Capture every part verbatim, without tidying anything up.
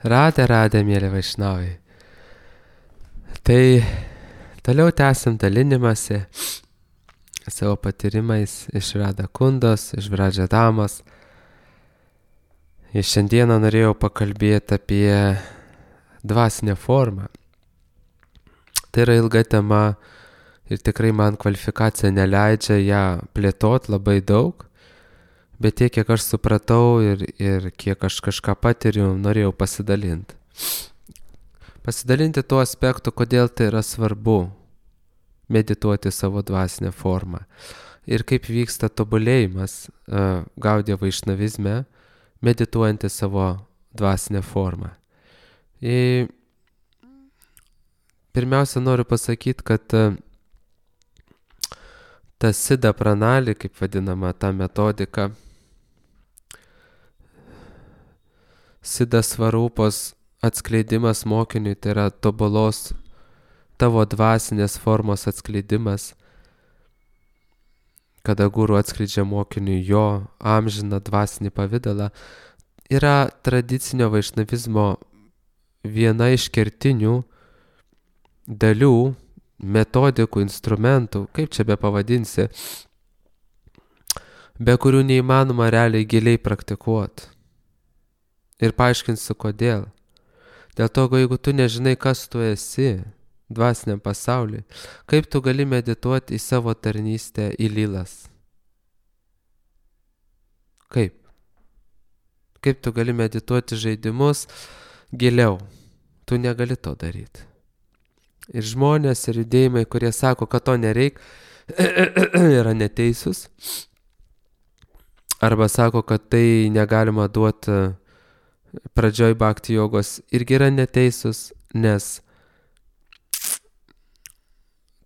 Radę, radę, mėly vaišnavai. Tai toliau tęsim dalinimąsi savo patyrimais iš Rada Kundos, iš Vradžadamos. Ir šiandieną norėjau pakalbėti apie dvasinę formą. Tai yra ilga tema ir tikrai man kvalifikacija neleidžia ją plėtoti labai daug. Bet tiek, kiek aš supratau ir, ir kiek aš kažką patiriu, norėjau pasidalinti. Pasidalinti tuo aspektu, kodėl tai yra svarbu medituoti savo dvasinę formą. Ir kaip vyksta tobulėjimas uh, Gaudiya vaišnavizme, medituojant į savo dvasinę formą. Ir pirmiausia, noriu pasakyti, kad uh, ta Siddha pranali, kaip vadinama ta metodika, Siddha svarupos atskleidimas mokiniui, tai yra tobulos tavo dvasinės formos atskleidimas, kada guru atskleidžia mokiniui jo amžiną dvasinį pavidalą, yra tradicinio vaišnavizmo viena iš kertinių dalių, metodikų, instrumentų, kaip čia be pavadinsi, be kurių neįmanoma realiai giliai praktikuoti. Ir paaiškinsiu, kodėl. Dėl to, jeigu tu nežinai, kas tu esi dvasiniam pasauliui, kaip tu gali medituoti į savo tarnystę į lilas? Kaip? Kaip tu gali medituoti žaidimus giliau? Tu negali to daryti. Ir žmonės, ir judėjimai, kurie sako, kad to nereik, yra neteisūs. Arba sako, kad tai negalima duoti pradžioj bhakti jogos, irgi yra neteisūs, nes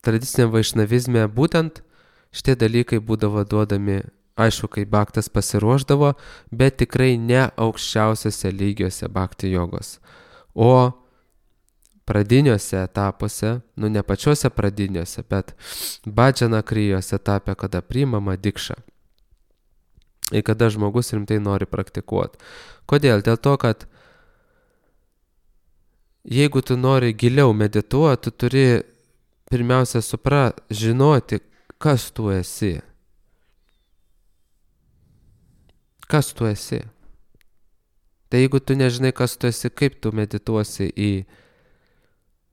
tradiciniam vaišnavizme būtent šitie dalykai būdavo duodami, aišku, kai bhaktas pasiruošdavo, bet tikrai ne aukščiausiose lygiuose bhakti jogos. O pradiniuose etapuose, nu ne pačiuose pradiniuose, bet bhajana krijos etape, kada priimama dikša. Ir kada žmogus rimtai nori praktikuoti. Kodėl? Dėl to, kad jeigu tu nori giliau medituoti, tu turi pirmiausia supra, žinoti, kas tu esi. Kas tu esi? Tai jeigu tu nežinai, kas tu esi, kaip tu medituosi į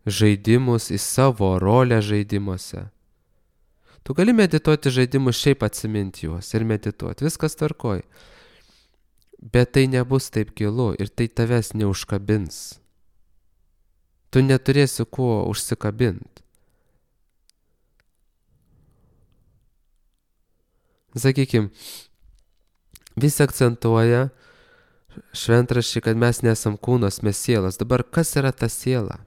žaidimus, į savo rolę žaidimuose. Tu gali medituoti žaidimus, šiaip atsiminti juos ir medituoti, viskas tvarkoj. Bet tai nebus taip gilu ir tai tavęs neužkabins. Tu neturėsi kuo užsikabinti. Sakykim, visi akcentuoja šventraščiai, kad mes nesam kūnas, mes sielas. Dabar kas yra ta siela?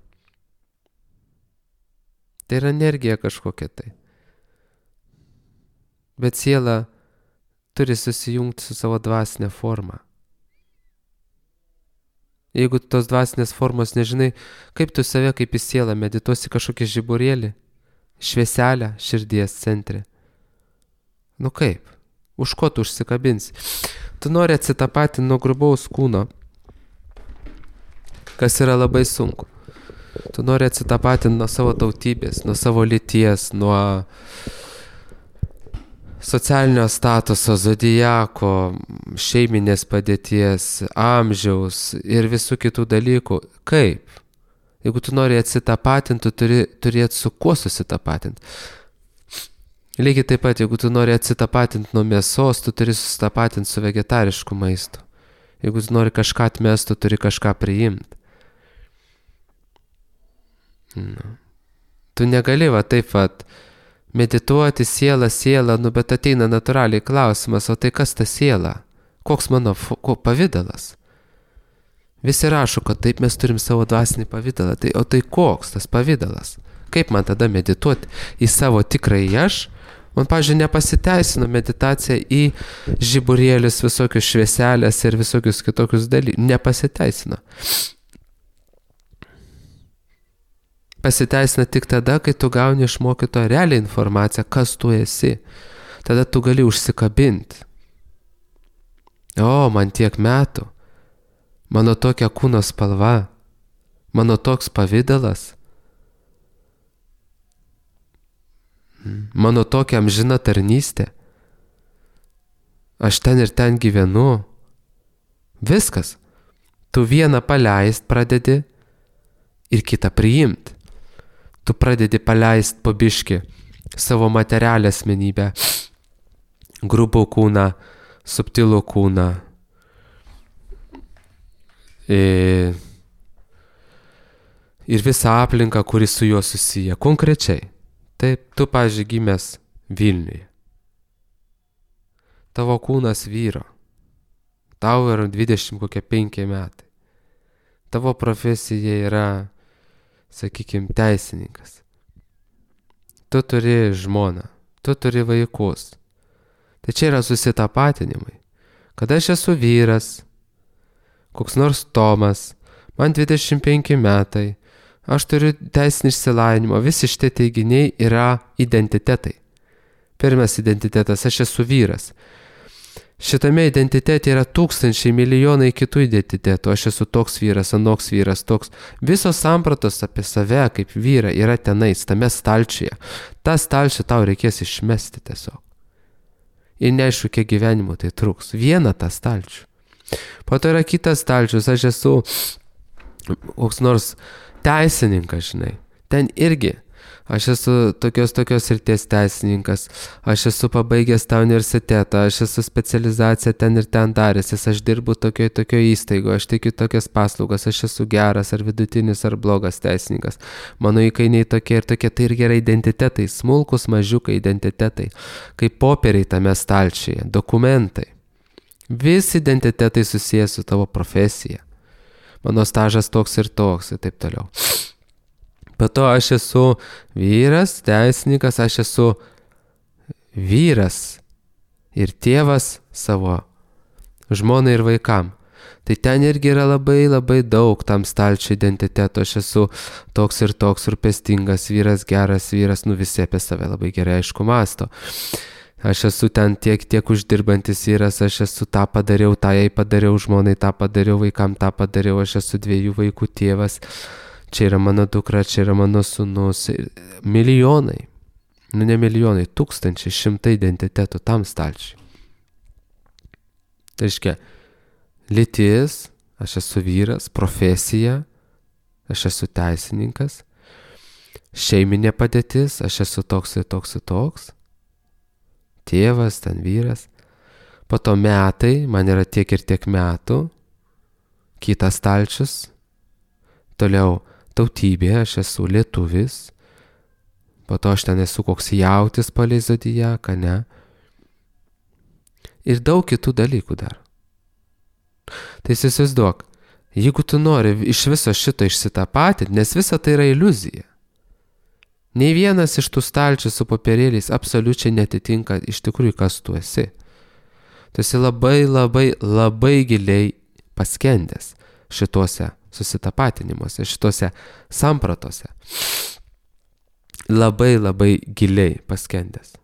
Tai yra energija kažkokia tai. Bet siela turi susijungti su savo dvasinė forma. Jeigu tos dvasinės formos nežinai, kaip tu save kaip į sielą medituosi kažkokį žiburėlį, švieselę širdies centre. Nu kaip? Už ko tu užsikabinsi? Tu nori atsitapatinti nuo grubaus kūno, kas yra labai sunku. Tu nori atsitapatinti nuo savo tautybės, nuo savo lyties, nuo socialinio statuso, zodiako, šeiminės padėties, amžiaus ir visų kitų dalykų. Kaip? Jeigu tu nori atsitapatinti, tu turi turėti su kuo susitapatinti. Lygiai taip pat, jeigu tu nori atsitapatinti nuo mėsos, tu turi susitapatinti su vegetarišku maistu. Jeigu tu nori kažką atmesti, tu turi kažką priimti. Nu. Tu negali va taip pat medituoti sielą, sielą, nu bet ateina natūraliai klausimas, o tai kas ta siela? Koks mano ko, pavidalas? Visi rašo, kad taip mes turim savo dvasinį pavidalą, tai, o tai koks tas pavidalas? Kaip man tada medituoti į savo tikrąjį aš? Man, pavyzdžiui, nepasiteisino meditacija į žiburėlius, visokius švieselės ir visokius kitokius dalykus. Nepasiteisino. Pasiteisina tik tada, kai tu gauni iš mokytojo realią informaciją, kas tu esi. Tada tu gali užsikabinti. O, man tiek metų. mano tokia kūno spalva, mano toks pavidalas, mano tokia amžina tarnystė, aš ten ir ten gyvenu, viskas. Tu vieną paleist pradedi ir kitą priimt. Tu pradedi paleist po biškį savo materialią asmenybę, grubų kūną, subtilų kūną. Ir, ir visą aplinką, kuri su juo susiję. Konkrečiai. Taip, tu, pavyzdžiui, gimęs Vilniuje. Tavo kūnas vyro. Tau yra dvidešimt kokie penki metai. Tavo profesija yra, sakykime, teisininkas. Tu turi žmoną, tu turi vaikus. Tai čia yra susitapatinimai. Kada aš esu vyras, koks nors Tomas, man dvidešimt penki metai, aš turiu teisinį išsilavinimą, visi šitie teiginiai yra identitetai. Pirmas identitetas, aš esu vyras. Šitame identitete yra tūkstančiai, milijonai kitų identitetų. Aš esu toks vyras, anoks vyras, toks. Visos sampratos apie save kaip vyrą yra tenais, tame stalčiuje. Ta stalčių tau reikės išmesti tiesiog. Ir neaišku, kiek gyvenimo tai truks. Vieną tą stalčių. Po to yra kitas stalčius, aš esu koks nors teisininkas, žinai. Ten irgi. Aš esu tokios tokios srities teisininkas, aš esu pabaigęs tą universitetą, aš esu specializaciją ten ir ten daręsis, aš dirbu tokioj tokioj įstaigoje, aš teikiu tokias paslaugas, aš esu geras ar vidutinis ar blogas teisininkas. Mano įkainiai tokie ir tokie, tai irgi yra identitetai, smulkus mažiukai identitetai, kaip popieriai tame stalčiuje, dokumentai. Visi identitetai susijęs su tavo profesija. Mano stažas toks ir toks ir taip toliau. Po to aš esu vyras, teisininkas, aš esu vyras ir tėvas savo žmonai ir vaikam. Tai ten irgi yra labai labai daug tam stalčių identiteto. Aš esu toks ir toks rūpestingas vyras, geras vyras, nu visi apie save labai gerai aišku mąsto. Aš esu ten tiek, tiek uždirbantis vyras, aš esu tą padariau, tą jai padariau, žmonai tą padariau, vaikam tą padariau, aš esu dviejų vaikų tėvas. Čia yra mano dukra, čia yra mano sūnus. Milijonai, nu ne milijonai, tūkstančiai, šimtai identitetų tam stalčiui. Tai reiškia, lytis, aš esu vyras, profesija, aš esu teisininkas, šeiminė padėtis, aš esu toks ir toks ir toks, tėvas, ten vyras. Po to metai, man yra tiek ir tiek metų, kitas stalčius, toliau tautybė, aš esu lietuvis, po to aš ten esu koks jautis palei zodiaką, ne? Ir daug kitų dalykų dar. Tai įsivaizduok, jeigu tu nori iš viso šito išsitapatinti, nes visa tai yra iliuzija. Nei vienas iš tų stalčių su popierėliais absoliučiai netitinka iš tikrųjų, kas tu esi. Tu esi labai, labai, labai giliai paskendęs šituose susitapatinimuose, šituose sampratose. Labai, labai giliai paskendęs.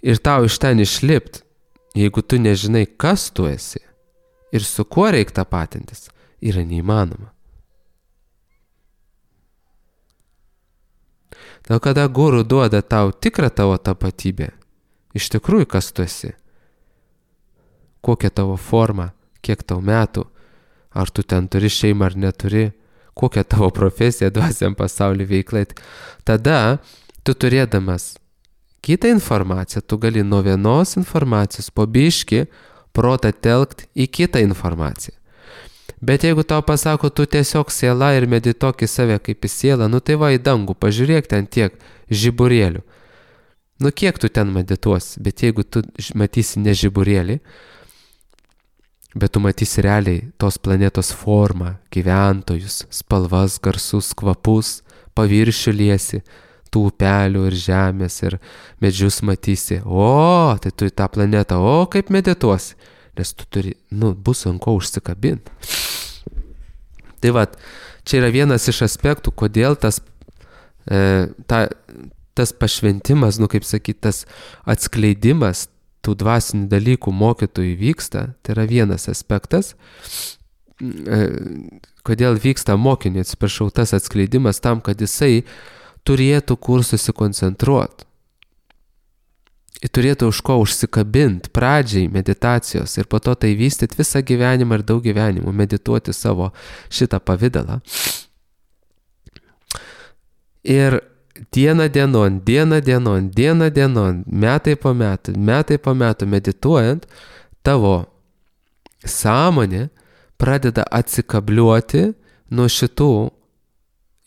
Ir tau iš ten išlipt, jeigu tu nežinai, kas tu esi ir su kuo reik tapatintis, yra neįmanoma. Dėl kada guru duoda tau tikrą tavo tapatybę, iš tikrųjų kas tu esi, kokia tavo forma, kiek tau metų, ar tu ten turi šeimą ar neturi, kokia tavo profesija dvasiam pasaulį veiklai. Tada tu turėdamas kitą informaciją, tu gali nuo vienos informacijos po biškį protą telkt į kitą informaciją. Bet jeigu tau pasako, tu tiesiog siela ir medituok į save kaip į sielą, nu tai va į dangų, pažiūrėk ten tiek žiburėlių. Nu kiek tu ten medituosi, bet jeigu tu matysi ne žiburėlį, bet tu matysi realiai tos planetos formą, gyventojus, spalvas, garsus, kvapus, paviršių liesi, tų upelių ir žemės ir medžius matysi. O, tai tu į tą planetą, o kaip medituosi, nes tu turi, nu, bus ant ko užsikabinti. Tai va, čia yra vienas iš aspektų, kodėl tas, e, ta, tas pašventimas, nu kaip sakyti, tas atskleidimas tų dvasinių dalykų mokytojui vyksta, tai yra vienas aspektas, kodėl vyksta mokiniui, atsiprašau, tas atskleidimas tam, kad jisai turėtų kur susikoncentruoti. Ir turėtų už ko užsikabinti pradžiai meditacijos ir po to tai vystyti visą gyvenimą ir daug gyvenimų, medituoti savo šitą pavidalą. Ir diena dienon, diena dienon, diena dienon, metai po metų, metai po metų medituojant, tavo sąmonė pradeda atsikabliuoti nuo šitų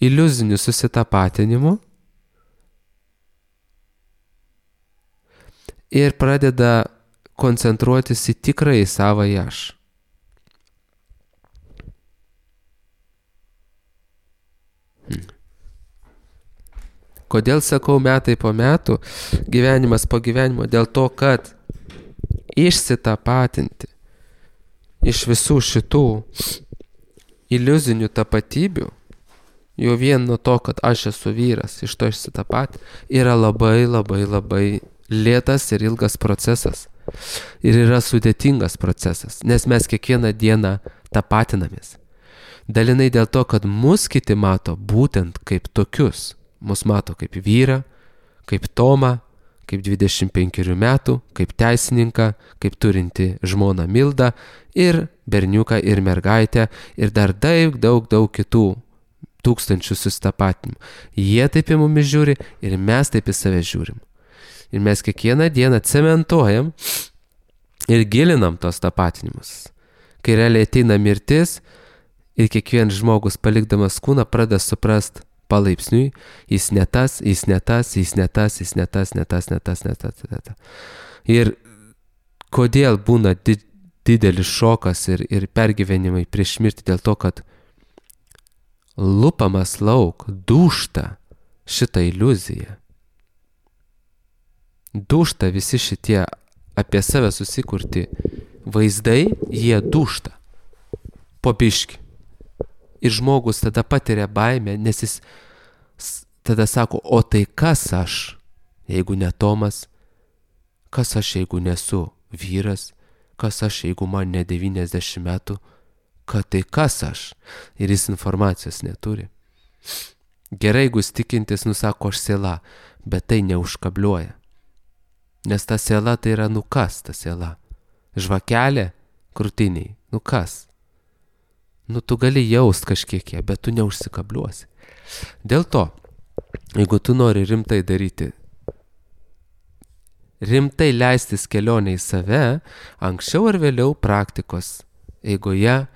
iliuzinių susitapatinimų ir pradeda koncentruotis į tikrąjį savąjį aš. Hmm. Kodėl sakau metai po metų, gyvenimas po gyvenimo? Dėl to, kad išsitapatinti iš visų šitų iliuzinių tapatybių, jau vien nuo to, kad aš esu vyras, iš to išsitapatinti, yra labai labai labai lėtas ir ilgas procesas. Ir yra sudėtingas procesas, nes mes kiekvieną dieną tapatinamės. Dalinai dėl to, kad mus kiti mato būtent kaip tokius. Mus mato kaip vyrą, kaip Tomą, kaip dvidešimt penkerių metų, kaip teisininką, kaip turinti žmoną Mildą ir berniuką ir mergaitę ir dar daug, daug, daug kitų tūkstančių susitapatinimų. Jie taip į mumis žiūri ir mes taip į save žiūrim. Ir mes kiekvieną dieną cementuojam ir gilinam tos tapatinimus. Kai realiai ateina mirtis ir kiekvienas žmogus palikdamas kūną pradeda suprast palaipsniui, jis ne tas, jis ne tas, jis ne tas, jis ne tas, ne tas, ne tas, ne tas, ne tas. Ir kodėl būna di- didelis šokas ir, ir pergyvenimai prieš mirtį dėl to, kad lupamas lauk, dūžta šitą iliuziją. Dūžta visi šitie apie save susikurti vaizdai, jie dūžta po biškį. Ir žmogus tada patiria baimę, nes jis tada sako, o tai kas aš, jeigu ne Tomas, kas aš, jeigu nesu vyras, kas aš, jeigu man ne devyniasdešimt metų, kad tai kas aš, ir jis informacijos neturi. Gerai, jeigu jis tikintis, nusako aš siela, bet tai neužkabliuoja. Nes ta siela tai yra nu kas ta siela? Žvakelė krūtiniai, nu kas? Nu tu gali jaust kažkiek ją, bet tu neužsikabliuosi. Dėl to, jeigu tu nori rimtai daryti, rimtai leistis kelionę į save, anksčiau ar vėliau praktikos eigoje,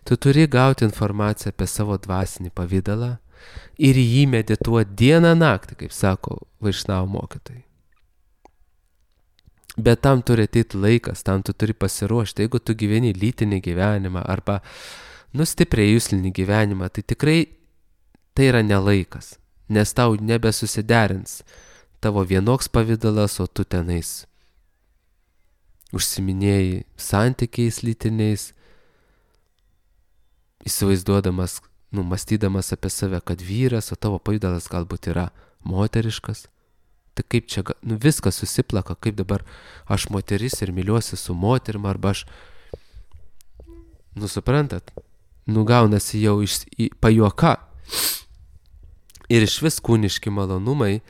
tu turi gauti informaciją apie savo dvasinį pavidalą ir jį medituoti dieną naktį, kaip sako Vaišnavų mokytojai. Bet tam turi ateiti laikas, tam tu turi pasiruošti. Jeigu tu gyveni lytinį gyvenimą arba nu stipriai juslinį gyvenimą, tai tikrai tai yra nelaikas, nes tau nebesusiderins tavo vienoks pavidalas, o tu tenais užsiminėjai santykiais lytiniais, įsivaizduodamas, nu, mąstydamas apie save, kad vyras, o tavo pavidalas galbūt yra moteriškas. Tai kaip čia, nu viskas susiplaka, kaip dabar aš moteris ir myliuosi su moterim, arba aš, nu suprantat, nu gaunasi jau iš, į, pajuoka. Ir iš vis kūniški malonumai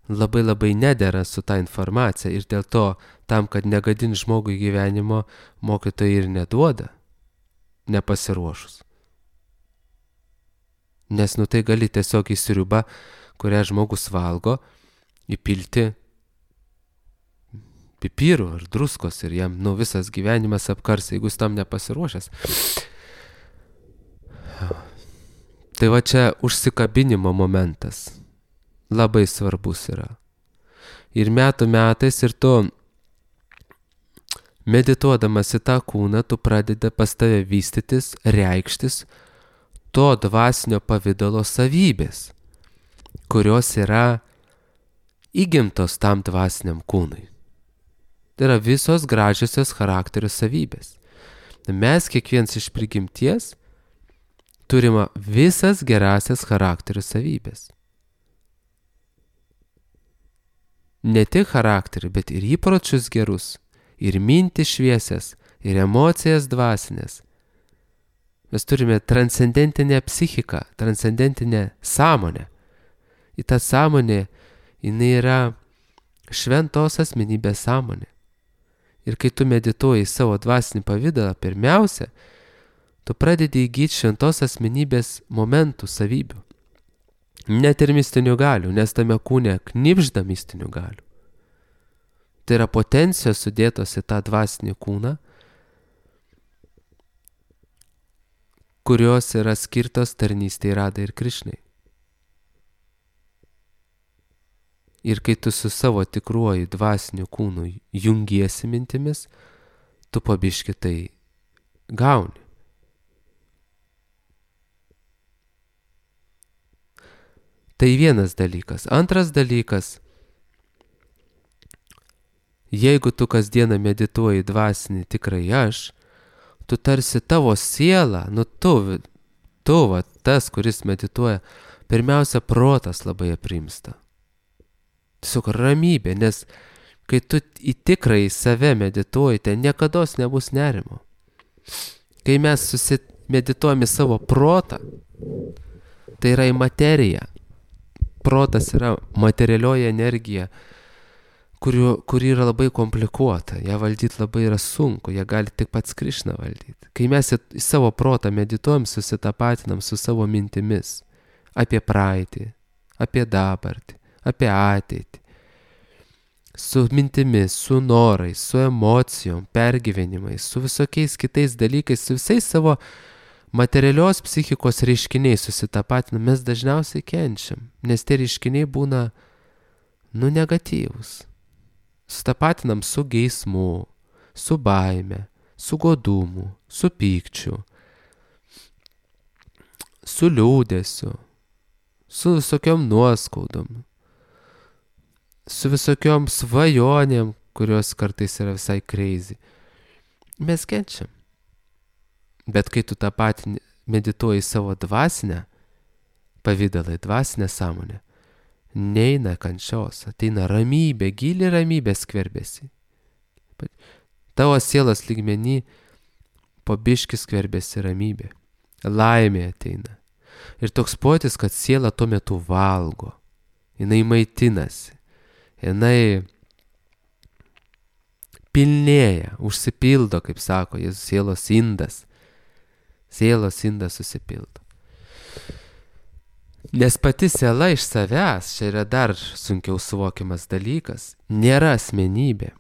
labai labai nedera su ta informacija ir dėl to, tam, kad negadin žmogui gyvenimo, mokytojai ir neduoda, nepasiruošus. Nes nu tai gali tiesiog į sriubą, kurią žmogus valgo, įpilti pipirų ar druskos ir jam nu visas gyvenimas apkars, jeigu jis tam nepasiruošęs. Tai va čia užsikabinimo momentas labai svarbus yra. Ir metų metais ir tu medituodamas į tą kūną, tu pradedi pas tave vystytis, reikštis to dvasinio pavidalo savybės, kurios yra įgimtos tam dvasiniam kūnui. Tai yra visos gražiosios charakterio savybės. Mes kiekvienas iš prigimties turime visas gerasias charakterio savybės. Ne tik charakterį, bet ir įpročius gerus, ir mintis šviesias, ir emocijas dvasinės. Mes turime transcendentinę psichiką, transcendentinę sąmonę. Į tą sąmonę, jinai yra šventos asmenybės sąmonė. Ir kai tu medituoji savo dvasinį pavydalą, pirmiausia, tu pradedi įgyti šventos asmenybės momentų, savybių. Net ir mistinių galių, nes tame kūne knibžda mistinių galių. Tai yra potencijos sudėtos į tą dvasinį kūną, kurios yra skirtos tarnystei Radai ir Krišnai. Ir kai tu su savo tikruoju dvasiniu kūnu jungiesi mintimis, tu po biškį tai gauni. Tai vienas dalykas. Antras dalykas, jeigu tu kasdieną medituoji dvasinį tikrai aš, tu tarsi tavo siela, nu tu, tu va, tas, kuris medituoja, pirmiausia, protas labai aprimsta. Tiesiog ramybė, nes kai tu į tikrąjį save medituoji, ten niekados nebus nerimo. Kai mes susimedituojame savo protą, tai yra į materiją. Protas yra materialioji energija, kuri, kuri yra labai komplikuota. Ją valdyti labai yra sunku, ją gali tik pats Krišna valdyti. Kai mes į, į savo protą medituojam, susitapatinam su savo mintimis apie praeitį, apie dabartį, apie ateitį, su mintimis, su norais, su emocijom, pergyvenimais, su visokiais kitais dalykais, su visais savo materialios psichikos reiškiniai susitapatinam, mes dažniausiai kenčiam, nes tie reiškiniai būna, nu, negatyvus. Susitapatinam su geismu, su baime, su godumu, su pykčiu, su liūdesiu, su visokiom nuoskaudom, su visokiom svajonėm, kurios kartais yra visai crazy. Mes kenčiam. Bet kai tu tą patį medituoji savo dvasinę pavydalą, dvasinę sąmonę, neina kančios, ateina ramybė, gili ramybė skverbėsi. Tavo sielos lygmenį po biškį skverbėsi ramybė. Laimė ateina. Ir toks pojūtis, kad siela tuo metu valgo. Jinai maitinasi. Jinai pilnėja, užsipildo, kaip sako Jėzus, sielos indas. Sielos indas susipildo. Nes pati siela iš savęs, čia yra dar sunkiau suvokiamas dalykas, nėra asmenybė.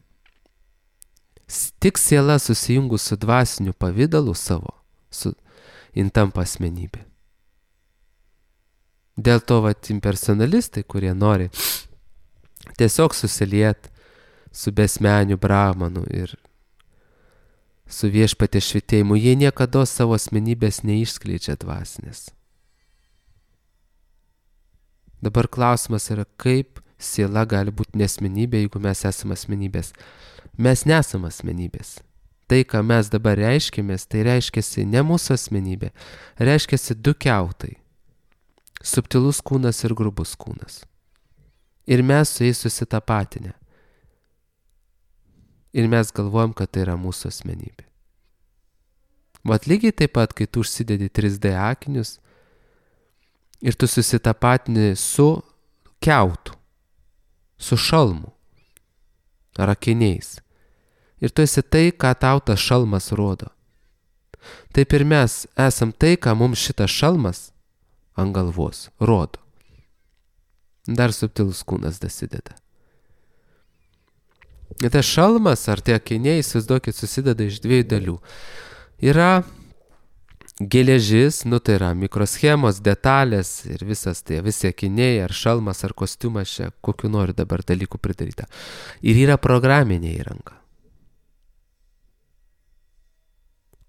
Tik siela susijungus su dvasiniu pavidalu savo, su, jin tampa asmenybė. Dėl to vat impersonalistai, kurie nori tiesiog susiliet su besmeniu brahmanu ir su viešpaties švitėjimu, jie niekada savo asmenybės neišskleidžia dvasinės. Dabar klausimas yra, kaip siela gali būti nesmenybė, jeigu mes esame asmenybės. Mes nesame asmenybės. Tai, ką mes dabar reiškėmės, tai reiškiasi ne mūsų asmenybė, reiškiasi du kiautai. Subtilus kūnas ir grubus kūnas. Ir mes su jais susitapatinę. Ir mes galvojam, kad tai yra mūsų asmenybė. Vat lygiai taip pat, kai tu užsidedi trys D akinius ir tu susitapatini su kiautu, su šalmu ar akiniais. Ir tu esi tai, ką tau tas šalmas rodo. Taip ir mes esam tai, ką mums šitas šalmas ant galvos rodo. Dar subtilus kūnas dasideda. Ir tas šalmas ar tie akiniai, įsivaizduokit, susideda iš dviejų dalių. Yra geležis, nu tai yra mikroschemos, detalės ir visas tai, visi akiniai, ar šalmas, ar kostiumas čia, kokiu nori dabar dalykų pridaryta. Ir yra programinė įranga,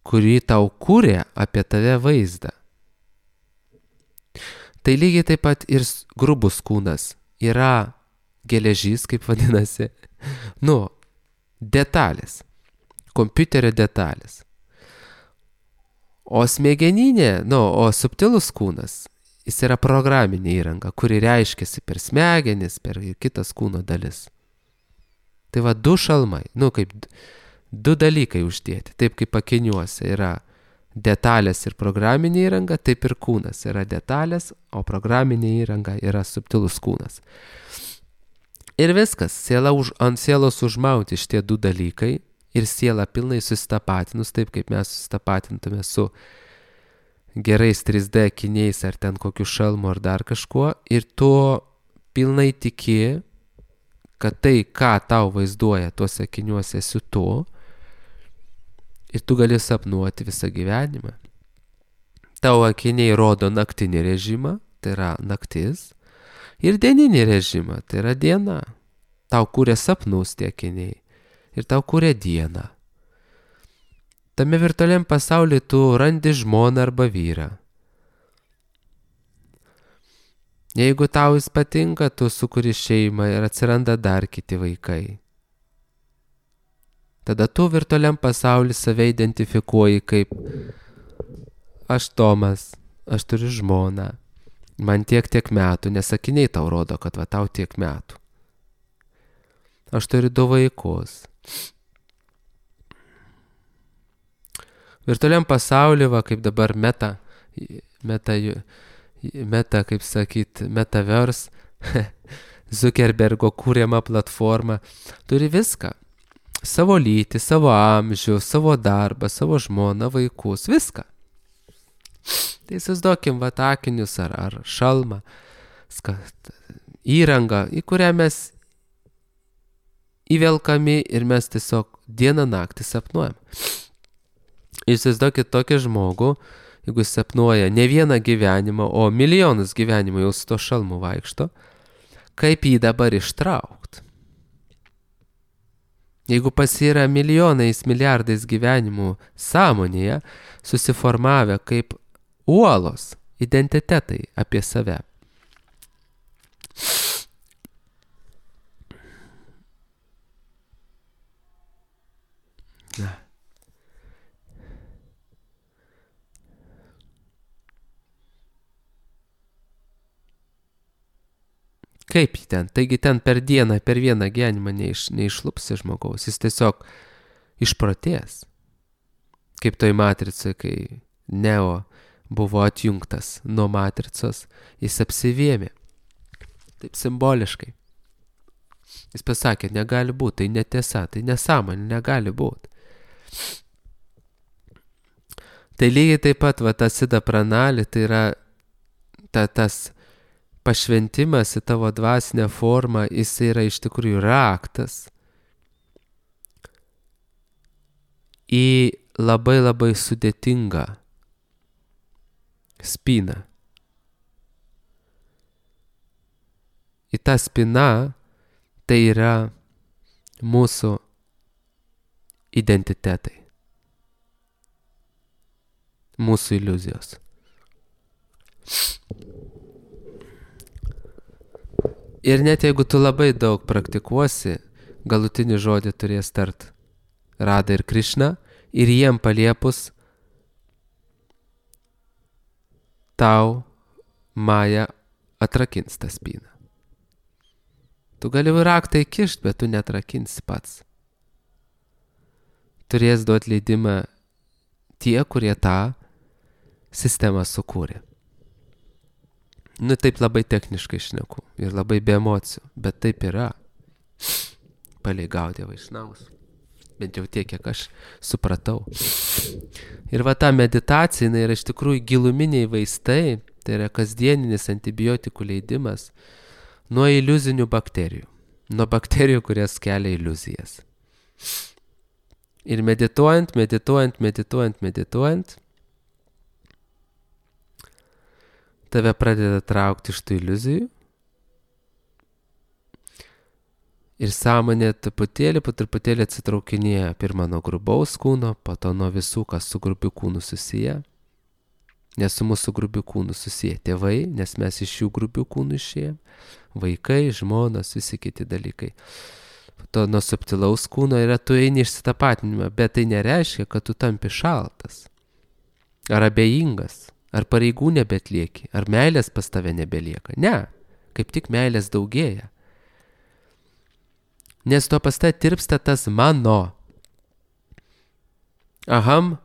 kuri tau kūrė apie tave vaizdą. Tai lygiai taip pat ir grubus kūnas yra geležys, kaip vadinasi, nu, detalės, kompiuterio detalės. O smegeninė, nu, o subtilus kūnas, jis yra programinė įranga, kuri reiškiasi per smegenis, per kitas kūno dalis. Tai va du šalmai, nu kaip du dalykai uždėti, taip kaip akiniuose yra detalės ir programinė įranga, taip ir kūnas yra detalės, o programinė įranga yra subtilus kūnas. Ir viskas, siela už, ant sielos užmauti šitie du dalykai ir siela pilnai susitapatinus, taip kaip mes susitapatintume su gerais trys D akiniais ar ten kokiu šalmu ar dar kažkuo, ir tu pilnai tiki, kad tai, ką tau vaizduoja tuose akiniuose, esi tu, ir tu gali sapnuoti visą gyvenimą. Tavo akiniai rodo naktinį režimą, tai yra naktis, ir dieninį režimą, tai yra diena. Tau kūrė sapnus tie akiniai ir tau kūrė dieną. Tame virtualiam pasaulyje tu randi žmoną arba vyrą. Jeigu tau jis patinka, tu sukuri šeimą ir atsiranda dar kiti vaikai. Tada tu virtualiam pasaulyje save identifikuoji kaip aš Tomas, aš turiu žmoną, man tiek tiek metų, nes akiniai tau rodo, kad va tau tiek metų. Aš turiu du vaikus. Virtualiam pasaulyje, va kaip dabar meta, meta, meta kaip sakyt, metaverse, Zuckerbergo kūriama platforma, turi viską. Savo lytį, savo amžių, savo darbą, savo žmoną, vaikus, viską. Tai įsivaizduokim va akinius ar, ar šalmą, skat, įrangą, į kurią mes įvelkami ir mes tiesiog dieną naktį sapnuojam. Įsivaizduokit tokį žmogų, jeigu sapnuoja ne vieną gyvenimą, o milijonus gyvenimų jau su to šalmu vaikšto, kaip jį dabar ištraukt. Jeigu pas yra milijonais, milijardais gyvenimų sąmonėje, susiformavę kaip uolos identitetai apie save. Na. Kaip jį ten? Taigi ten per dieną, per vieną gyvenimą neiš, neišlupsi žmogaus. Jis tiesiog išprotės. Kaip toj matricai, kai Neo buvo atjungtas nuo matricos, jis apsivėmė. Taip simboliškai. Jis pasakė, negali būti, tai netiesa, tai nesąmonė, negali būti. Tai lygiai taip pat, va, ta sida pranali, tai yra ta, tas pašventimas į tavo dvasinę formą, jis yra iš tikrųjų raktas į labai labai sudėtingą spyną. Į tą spyną tai yra mūsų identitetai, mūsų iliuzijos. Ir net jeigu tu labai daug praktikuosi, galutinį žodį turės tart Rada ir Krišna, ir jiem paliepus tau Maja atrakins tą spyną. Tu gali raktą įkišt, bet tu neatrakinsi pats. Turės duoti leidimą tie, kurie tą sistemą sukūrė. Nu, taip labai techniškai šneku ir labai be emocijų, bet taip yra. Palei Gaudija Vaišnavus. Bent jau tiek, kiek aš supratau. Ir va ta meditacija, jinai yra iš tikrųjų giluminiai vaistai, tai yra kasdieninis antibiotikų leidimas nuo iliuzinių bakterijų. Nuo bakterijų, kurias kelia iliuzijas. Ir medituojant, medituojant, medituojant, medituojant, tave pradeda traukti iš tų iliuzijų ir sąmonė truputėlį, po truputėlį atsitraukinėja pirmą nuo grubaus kūno, po to nuo visų, kas su grubiu kūnu susiję. Nes su mūsų grubiu kūnu susiję tėvai, nes mes iš jų grubių kūnų išėjom, vaikai, žmonos, visi kiti dalykai. Po to nuo subtilaus kūno yra tu eini išsitapatinimą, bet tai nereiškia, kad tu tampi šaltas ar abejingas. Ar pareigų nebetlieki, ar meilės pas tave nebelieka. Ne, kaip tik meilės daugėja. Nes to pas tave tirpsta tas mano. Aham,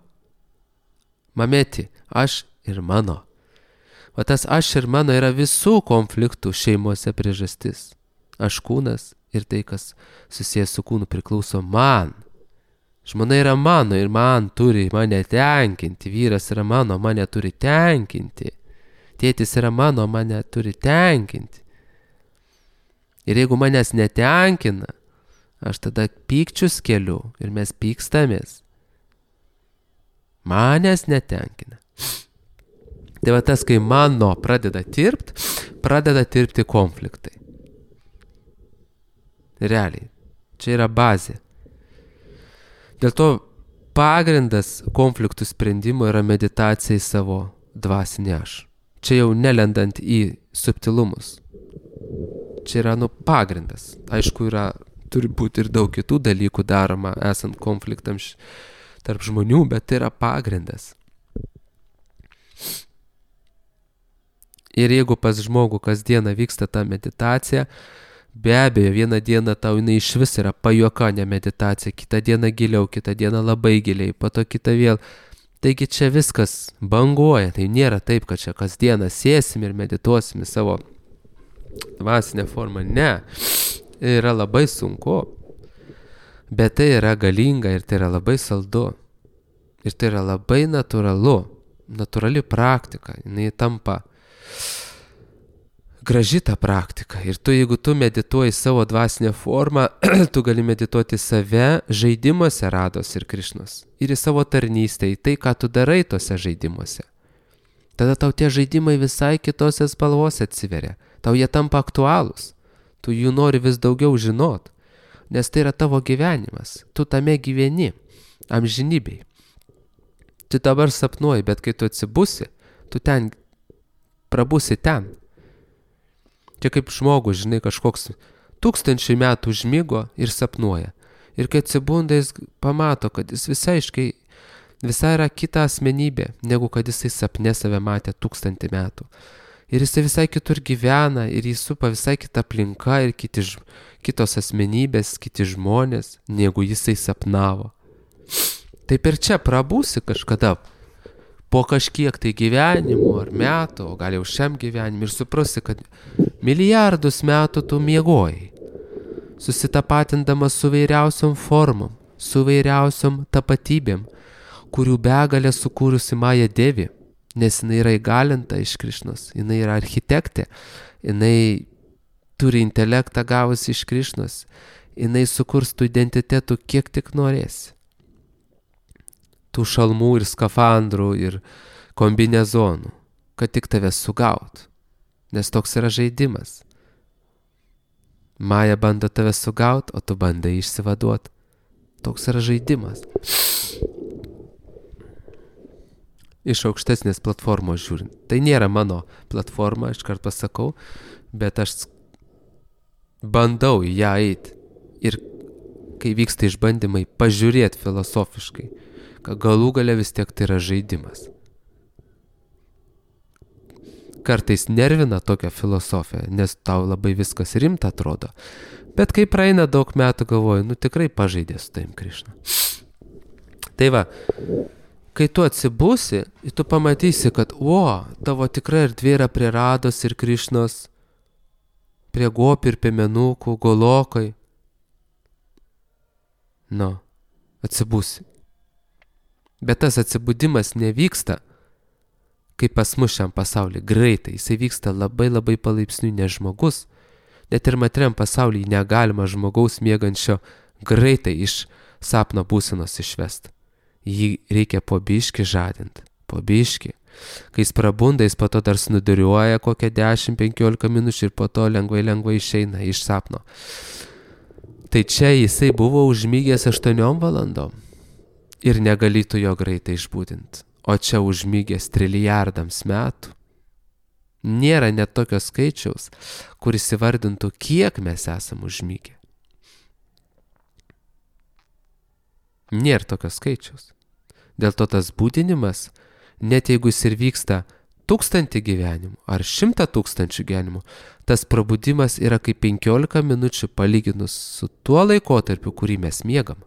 mamėti, aš ir mano. O tas aš ir mano yra visų konfliktų šeimose priežastis. Aš kūnas ir tai, kas susijęs su kūnu, priklauso man. Žmona yra mano ir man turi mane tenkinti. Vyras yra mano, mane turi tenkinti. Tėtis yra mano, mane turi tenkinti. Ir jeigu manęs netenkina, aš tada pykčius keliu ir mes pykstamės. Manęs netenkina. Tai va tas, kai mano pradeda tirpt, pradeda tirpti konfliktai. Realiai. Čia yra bazė. Dėl to pagrindas konfliktų sprendimo yra meditacija į savo dvasinį aš. Čia jau nelendant į subtilumus. Čia yra nu pagrindas. Aišku, yra, turi būti ir daug kitų dalykų daroma, esant konfliktams tarp žmonių, bet tai yra pagrindas. Ir jeigu pas žmogų kasdieną vyksta ta meditacija, be abejo, vieną dieną tau jinai iš vis yra pajuoka, ne meditacija, kitą dieną giliau, kitą dieną labai giliai, po to kitą vėl. Taigi čia viskas banguoja, tai nėra taip, kad čia kasdieną sėsim ir medituosim į savo dvasinę formą. Ne, yra labai sunku, bet tai yra galinga ir tai yra labai saldu. Ir tai yra labai natūralu, natūrali praktika, jinai tampa graži ta praktika. Ir tu, jeigu tu medituoji savo dvasinę formą, tu gali medituoti save žaidimuose Rados ir Krišnos. Ir į savo tarnystę, į tai, ką tu darai tose žaidimuose. Tada tau tie žaidimai visai kitose spalvose atsiveria. Tau jie tampa aktualūs. Tu jų nori vis daugiau žinot. Nes tai yra tavo gyvenimas. Tu tame gyveni. Amžinybei. Tu dabar sapnuoji, bet kai tu atsibusi, tu ten prabusi ten. Čia kaip žmogus, žinai, kažkoks tūkstančiai metų užmigo ir sapnuoja. Ir kai atsibunda, jis pamato, kad jis visai aiškiai, visai yra kita asmenybė, negu kad jisai sapne save matė tūkstantį metų. Ir jisai visai kitur gyvena, ir jis supa visai kita aplinka, ir kiti, kitos asmenybės, kiti žmonės, negu jisai sapnavo. Taip ir čia prabūsi kažkada, po kažkiek tai gyvenimų ar metų, o gal jau šiam gyvenimui, ir suprasi, kad milijardus metų tu miegojai, susitapatindamas su vairiausiom formom, su vairiausiom tapatybėm, kurių begalę sukūrusi Maja Devi, nes jinai yra įgalinta iš Krišnos, jinai yra architektė, jinai turi intelektą gavusi iš Krišnos, jinai sukurs tų identitetų kiek tik norėsi. Tų šalmų ir skafandrų ir kombinezonų, kad tik tave sugaut, nes toks yra žaidimas. Maja bando tave sugaut, o tu bandai išsivaduot. Toks yra žaidimas. Iš aukštesnės platformos žiūrint. Tai nėra mano platforma, aš kart pasakau, bet aš bandau į ją eiti. Ir kai vyksta išbandymai, pažiūrėti filosofiškai, kad galų gale vis tiek tai yra žaidimas. Kartais nervina tokia filosofija, nes tau labai viskas rimta atrodo. Bet kai praeina daug metų, galvoju, nu tikrai pažaidė su tavim Krišna. Tai va, kai tu atsibusi, tu pamatysi, kad, o, tavo tikra erdvė yra prie Rados ir Krišnos, prie gopių ir piemenukų, golokai. Nu, atsibusi. Bet tas atsibudimas nevyksta, kaip pas mus šiam pasaulyje, greitai. Jisai vyksta labai labai palaipsniui, nes žmogus, net ir materiam pasaulyje negalima žmogaus miegančio greitai iš sapno būsenos išvest. Jį reikia po biškį žadint, po biškį. Kai jis prabunda, jis po to dar snuduriuoja kokią dešimt penkiolika minučių ir po to lengvai lengvai išeina iš sapno. Tai čia jisai buvo užmygęs aštuoniom valandom. Ir negalėtų jo greitai išbūdinti. O čia užmygęs trilijardams metų. Nėra net tokio skaičiaus, kuris įvardintų, kiek mes esam užmygę. Nėra tokio skaičiaus. Dėl to tas būdinimas, net jeigu jis ir vyksta tūkstantį gyvenimų ar šimtą tūkstančių gyvenimų, tas prabudimas yra kaip penkiolika minučių palyginus su tuo laikotarpiu, kurį mes miegam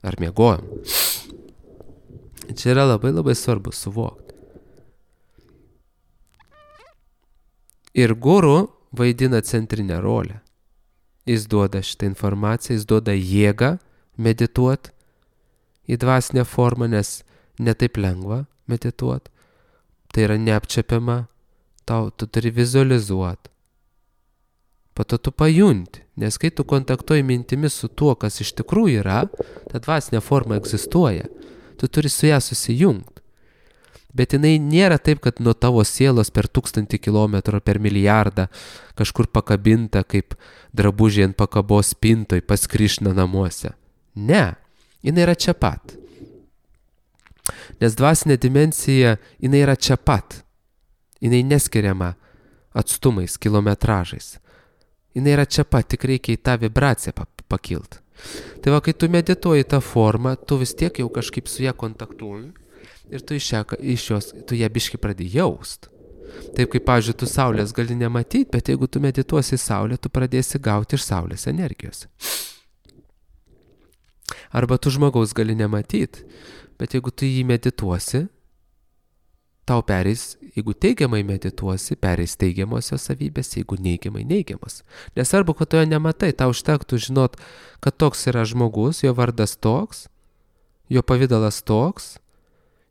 ar miegojam. Čia yra labai labai svarbu suvokti. Ir guru vaidina centrinę rolę. Jis duoda šitą informaciją, jis duoda jėgą medituoti į dvasinę formą, nes netaip lengva medituoti. Tai yra neapčiapiama, tau, tu turi vizualizuoti. Po to tu pajunti, nes kai tu kontaktuoji mintimis su tuo, kas iš tikrųjų yra, ta dvasinė forma egzistuoja. Tu turi su ją susijungti. Bet jinai nėra taip, kad nuo tavo sielos per tūkstantį kilometrų, per milijardą kažkur pakabinta kaip drabužiai ant pakabos spintoj pas Krišną namuose. Ne, jinai yra čia pat. Nes dvasinė dimensija, jinai yra čia pat. Jinai neskiriama atstumais, kilometražais. Jinai yra čia pat, tik reikia į tą vibraciją pakilti. Tai va, kai tu medituoji tą formą, tu vis tiek jau kažkaip su ją kontaktuoji ir tu iš, ją, iš jos, tu ją biškį pradėjai jaust. Taip kaip, pavyzdžiui, tu saulės gali nematyti, bet jeigu tu medituosi į saulę, tu pradėsi gauti iš saulės energijos. Arba tu žmogaus gali nematyti, bet jeigu tu jį medituosi, tau pereis, jeigu teigiamai medituosi, pereis teigiamosios savybės, jeigu neigiamai neigiamos. Nesvarbu, kad tu jo nematai, tau užtektų žinot, kad toks yra žmogus, jo vardas toks, jo pavidalas toks,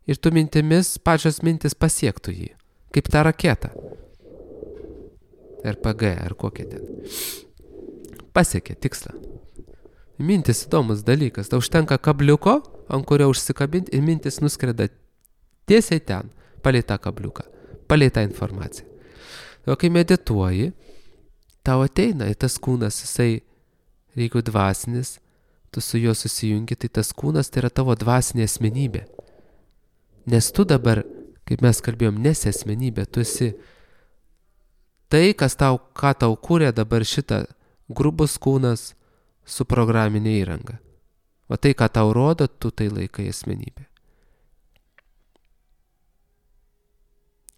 ir tu mintimis, pačios mintis pasiektų jį, kaip ta raketa. R P G, ar kokia ten. Pasiekė tikslą. Mintis įdomus dalykas, tau užtenka kabliuko, ant kurio užsikabinti, ir mintis nuskreda tiesiai ten, palei tą kabliuką, palei tą informaciją. O kai medituoji, tau ateina į tas kūnas, jisai, reikia dvasinis, tu su juo susijungi, tai tas kūnas tai yra tavo dvasinė asmenybė. Nes tu dabar, kaip mes kalbėjom, nesi asmenybė, tu esi tai, kas tau, ką tau kūrė dabar šitą grubus kūnas su programinė įranga. O tai, ką tau rodo, tu tai laikai asmenybė.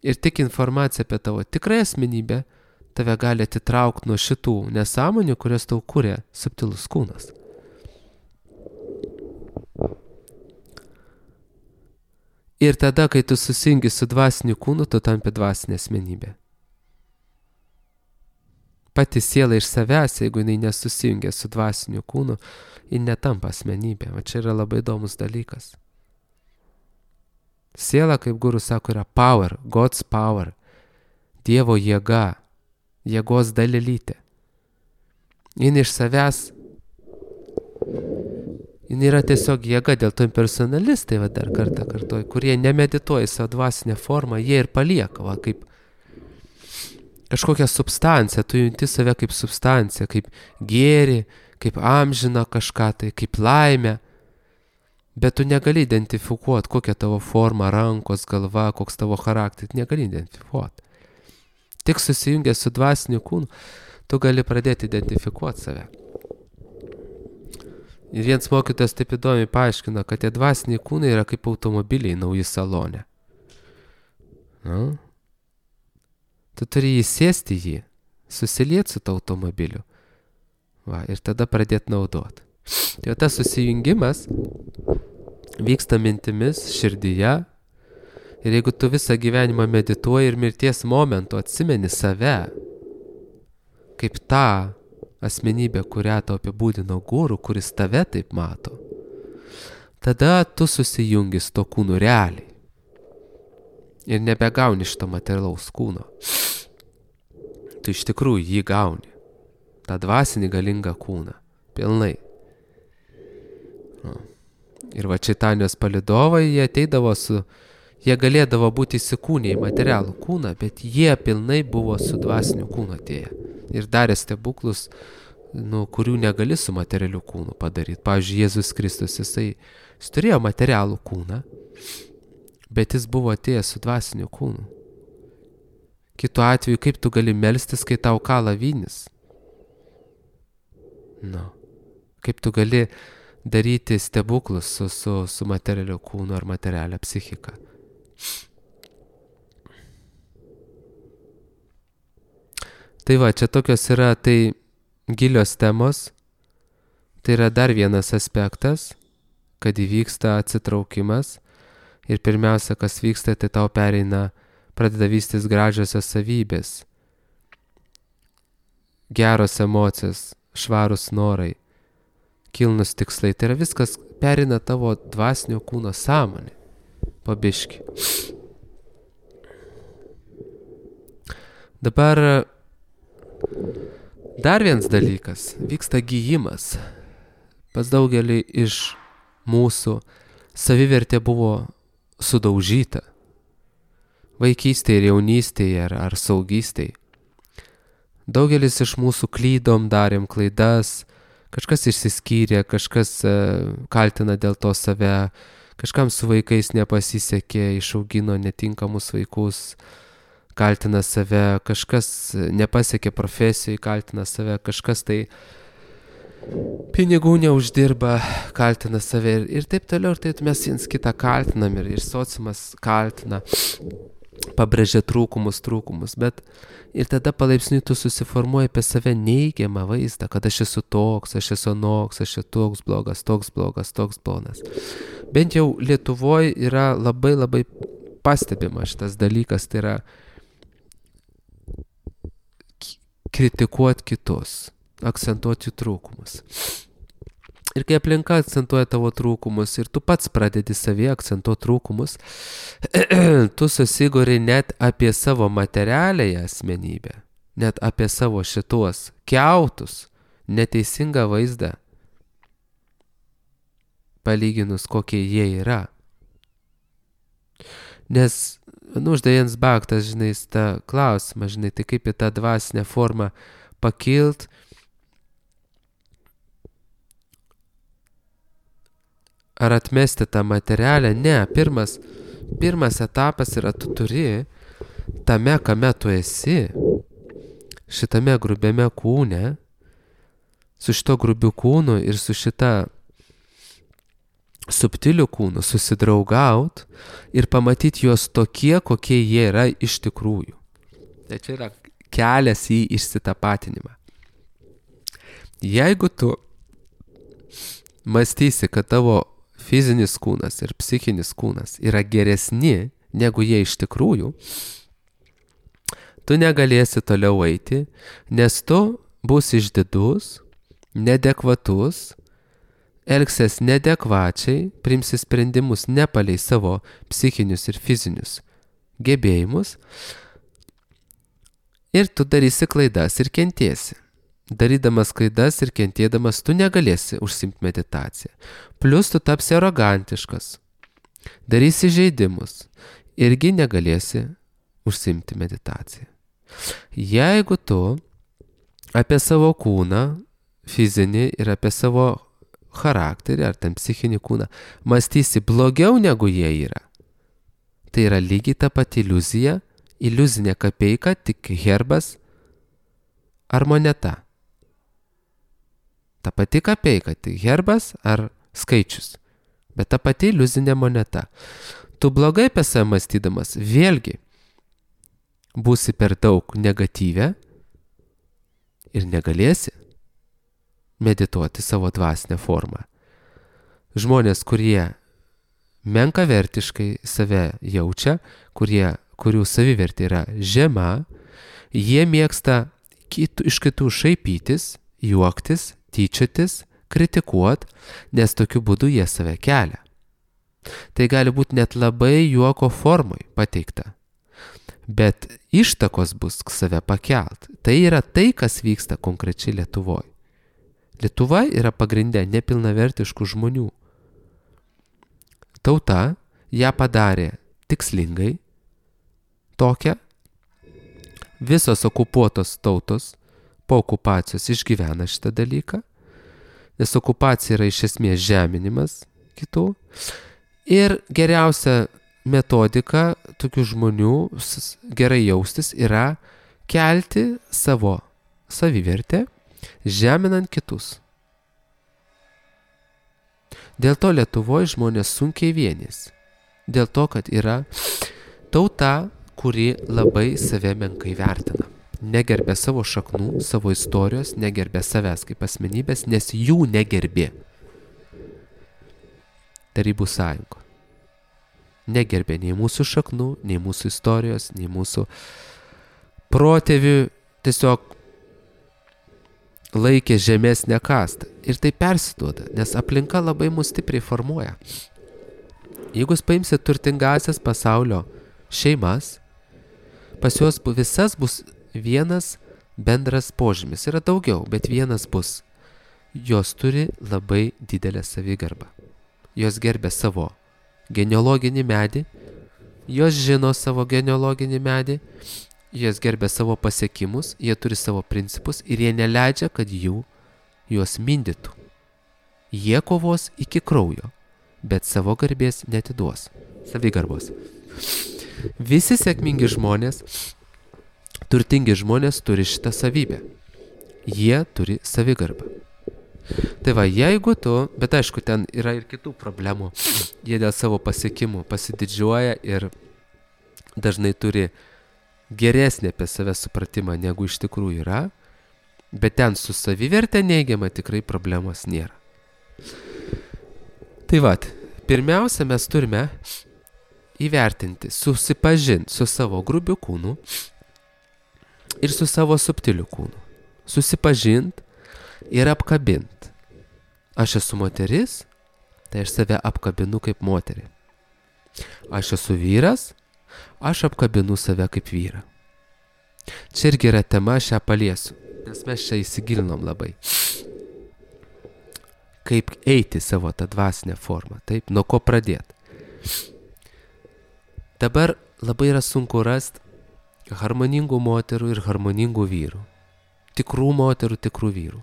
Ir tik informacija apie tavo tikrąją asmenybę tave gali atitraukti nuo šitų nesąmonių, kurias tau kūrė subtilus kūnas. Ir tada, kai tu susijungi su dvasiniu kūnu, tu tampi dvasinė asmenybė. Pati siela iš savęs, jeigu jinai nesusijungia su dvasiniu kūnu, ji netampa asmenybė. O čia yra labai įdomus dalykas. Siela, kaip guru sako, yra power, God's power, Dievo jėga, jėgos dalelytė. Jin iš savęs, jin yra tiesiog jėga, dėl to impersonalistai, va dar kartą kartuoju, kurie nemedituoja savo dvasinę formą, jie ir palieka, va, kaip kažkokią substanciją, tu junti save kaip substanciją, kaip gėrį, kaip amžiną kažką tai, kaip laimę. Bet tu negali identifikuoti, kokia tavo forma, rankos, galva, koks tavo charakteris, negali identifikuoti. Tik susijungęs su dvasiniu kūnu, tu gali pradėti identifikuoti save. Ir vienas mokytojas taip įdomiai paaiškina, kad tie dvasiniai kūnai yra kaip automobiliai nauji salone. Na? Tu turi įsėsti jį, susilieti su to automobiliu. Va, ir tada pradėti naudoti. Tai tas susijungimas vyksta mintimis, širdyje. Ir jeigu tu visą gyvenimą medituoji ir mirties momentu atsimeni save, kaip tą asmenybę, kurią tau apibūdino guru, kuris tave taip mato, tada tu susijungi su to kūnu realiai. Ir nebegauni šito materialaus kūno. Tu iš tikrųjų jį gauni. tą dvasinį galingą kūną. Pilnai. Ir va Čaitanijos palydovai, jie ateidavo su, jie galėdavo būti įsikūnę į materialų kūną, bet jie pilnai buvo su dvasiniu kūnu atėję. Ir darė stebuklus, nu, kurių negali su materialiu kūnu padaryti. Pavyzdžiui, Jėzus Kristus, jisai, jis turėjo materialų kūną, bet jis buvo atėjęs su dvasiniu kūnu. Kitu atveju, kaip tu gali melstis, kai tau kala vynis? Nu, kaip tu gali daryti stebuklus su, su, su materialiu kūnu ar materialia psichika? Tai va, čia tokios yra tai gilios temos. Tai yra dar vienas aspektas, kad įvyksta atsitraukimas. Ir pirmiausia, kas vyksta, tai tau pereina, pradeda vystis gražiosios savybės. Geros emocijos, švarus norai, kilnus tikslai. Tai yra viskas pereina tavo dvasinio kūno sąmonė. Pabiški. Dabar dar vienas dalykas. Vyksta gijimas. Pas daugelį iš mūsų savivertė buvo sudaužyta. Vaikystėje ir jaunystėje ar, ar saugystėje. Daugelis iš mūsų klydom, darėm klaidas, kažkas išsiskyrė, kažkas uh, kaltina dėl to save, kažkam su vaikais nepasisekė, išaugino netinkamus vaikus, kaltina save, kažkas nepasiekė profesijai, kaltina save, kažkas tai pinigų neuždirba, kaltina save ir, ir taip toliau, ir taip mes viens kitą kaltinam ir, ir sociumas kaltina, pabrėžia trūkumus, trūkumus, bet ir tada palaipsniui tu susiformuoji apie save neigiamą vaizdą, kad aš esu toks, aš esu anoks, aš esu toks blogas, toks blogas, toks blogas. Bent jau Lietuvoje yra labai labai pastebima šitas dalykas, tai yra kritikuoti kitus, akcentuoti jų trūkumus. Ir kai aplinka akcentuoja tavo trūkumus ir tu pats pradedi savie akcentuoti trūkumus, tu susiguri net apie savo materialiąją asmenybę, net apie savo šitos kiautus, neteisingą vaizdą, palyginus kokie jie yra. Nes, nu, uždavėjans baktas, žinai, tą klausimą, žinai, tai kaip į tą dvasinę formą pakilt, ar atmesti tą materialę? Ne, pirmas, pirmas etapas yra, tu turi tame, kame tu esi, šitame grubiame kūne, su šito grubiu kūnu ir su šita subtiliu kūnu susidraugaut ir pamatyti juos tokie, kokie jie yra iš tikrųjų. Tai čia yra kelias į išsitapatinimą. Jeigu tu mąstysi, kad tavo fizinis kūnas ir psichinis kūnas yra geresni, negu jie iš tikrųjų, tu negalėsi toliau eiti, nes tu būsi išdidus, nedekvatus, elgsies nedekvačiai, priimsi sprendimus nepalei savo psichinius ir fizinius gebėjimus ir tu darysi klaidas ir kentiesi. Darydamas klaidas ir kentėdamas, tu negalėsi užsimti meditaciją. Plius tu tapsi arogantiškas, darysi žaidimus, irgi negalėsi užsimti meditaciją. Jeigu tu apie savo kūną, fizinį ir apie savo charakterį ar ten psichinį kūną mąstysi blogiau negu jie yra, tai yra lygiai ta pati iliuzija, iliuzinė kapeika, tik herbas ar moneta. Ta pati kapeika, tai herbas ar skaičius, bet ta pati iliuzinė moneta. Tu blogai apie save mąstydamas, vėlgi, būsi per daug negatyvę ir negalėsi medituoti savo dvasinę formą. Žmonės, kurie menkavertiškai save jaučia, kurie, kurių savivertė yra žema, jie mėgsta kitų, iš kitų šaipytis, juoktis, tyčiotis, kritikuot, nes tokiu būdu jie save kelia. Tai gali būti net labai juoko formai pateikta, bet ištakos bus save pakelt. Tai yra tai, kas vyksta konkrečiai Lietuvoje. Lietuva yra pagrindė nepilnavertiškų žmonių. Tauta ją padarė tikslingai, tokią. Visos okupuotos tautos po okupacijos išgyvena šitą dalyką, nes okupacija yra iš esmės žeminimas kitų. Ir geriausia metodika tokių žmonių gerai jaustis yra kelti savo savivertę, žeminant kitus. Dėl to Lietuvoje žmonės sunkiai vienys. Dėl to, kad yra tauta, kuri labai save menkai vertina. negerbė savo šaknų, savo istorijos, negerbė savęs kaip asmenybės, nes jų negerbė. Tarybų sąjungo. Negerbė nei mūsų šaknų, nei mūsų istorijos, nei mūsų protėvių, tiesiog laikė žemesnę kastą. Ir tai persiduoda, nes aplinka labai mus stipriai formuoja. Jeigu jūs paimsit turtingasias pasaulio šeimas, pas juos visas bus vienas bendras požymis. Yra daugiau, bet vienas bus. Jos turi labai didelę savigarbą. Jos gerbė savo genealoginį medį, jos žino savo genealoginį medį, jos gerbė savo pasiekimus, jie turi savo principus ir jie neleidžia, kad jų juos mindytų. Jie kovos iki kraujo, bet savo garbės netiduos. Savigarbos. Visi sėkmingi žmonės, turtingi žmonės turi šitą savybę. Jie turi savigarbą. Tai va, jeigu tu, bet aišku, ten yra ir kitų problemų, jie dėl savo pasiekimų pasididžiuoja ir dažnai turi geresnį apie save supratimą, negu iš tikrųjų yra, bet ten su savivertė neigiama tikrai problemos nėra. Tai va, pirmiausia, mes turime įvertinti, susipažinti su savo grubiu kūnu ir su savo subtiliu kūnu. Susipažinti ir apkabinti. Aš esu moteris, tai aš save apkabinu kaip moterį. Aš esu vyras, aš apkabinu save kaip vyrą. Čia irgi yra tema, aš ją paliesiu, nes mes čia įsigilinom labai. Kaip eiti savo tą dvasinę formą, taip, nuo ko pradėti. Dabar labai yra sunku rasti harmoningų moterų ir harmoningų vyrų. Tikrų moterų, tikrų vyrų.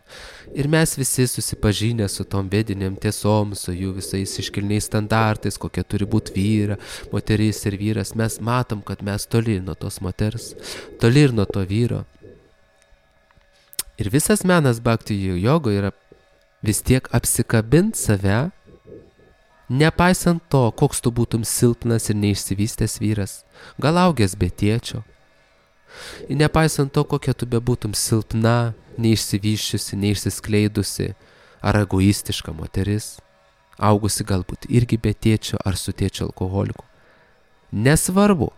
Ir mes visi susipažinę su tom vedinėm tiesom, su jų visais iškilniais standartais, kokia turi būti vyra, moteris ir vyras, mes matom, kad mes toli nuo tos moters, toli ir nuo to vyro. Ir visas menas bhakti jogo yra vis tiek apsikabint save, nepaisant to, koks tu būtum silpnas ir neišsivystęs vyras, gal augęs be tėčio. Ir nepaisant to, kokia tu bebūtum silpna, neišsivyščiusi, neišsiskleidusi, ar egoistiška moteris, augusi galbūt irgi be tėčio ar su tėčio alkoholiku. Nesvarbu,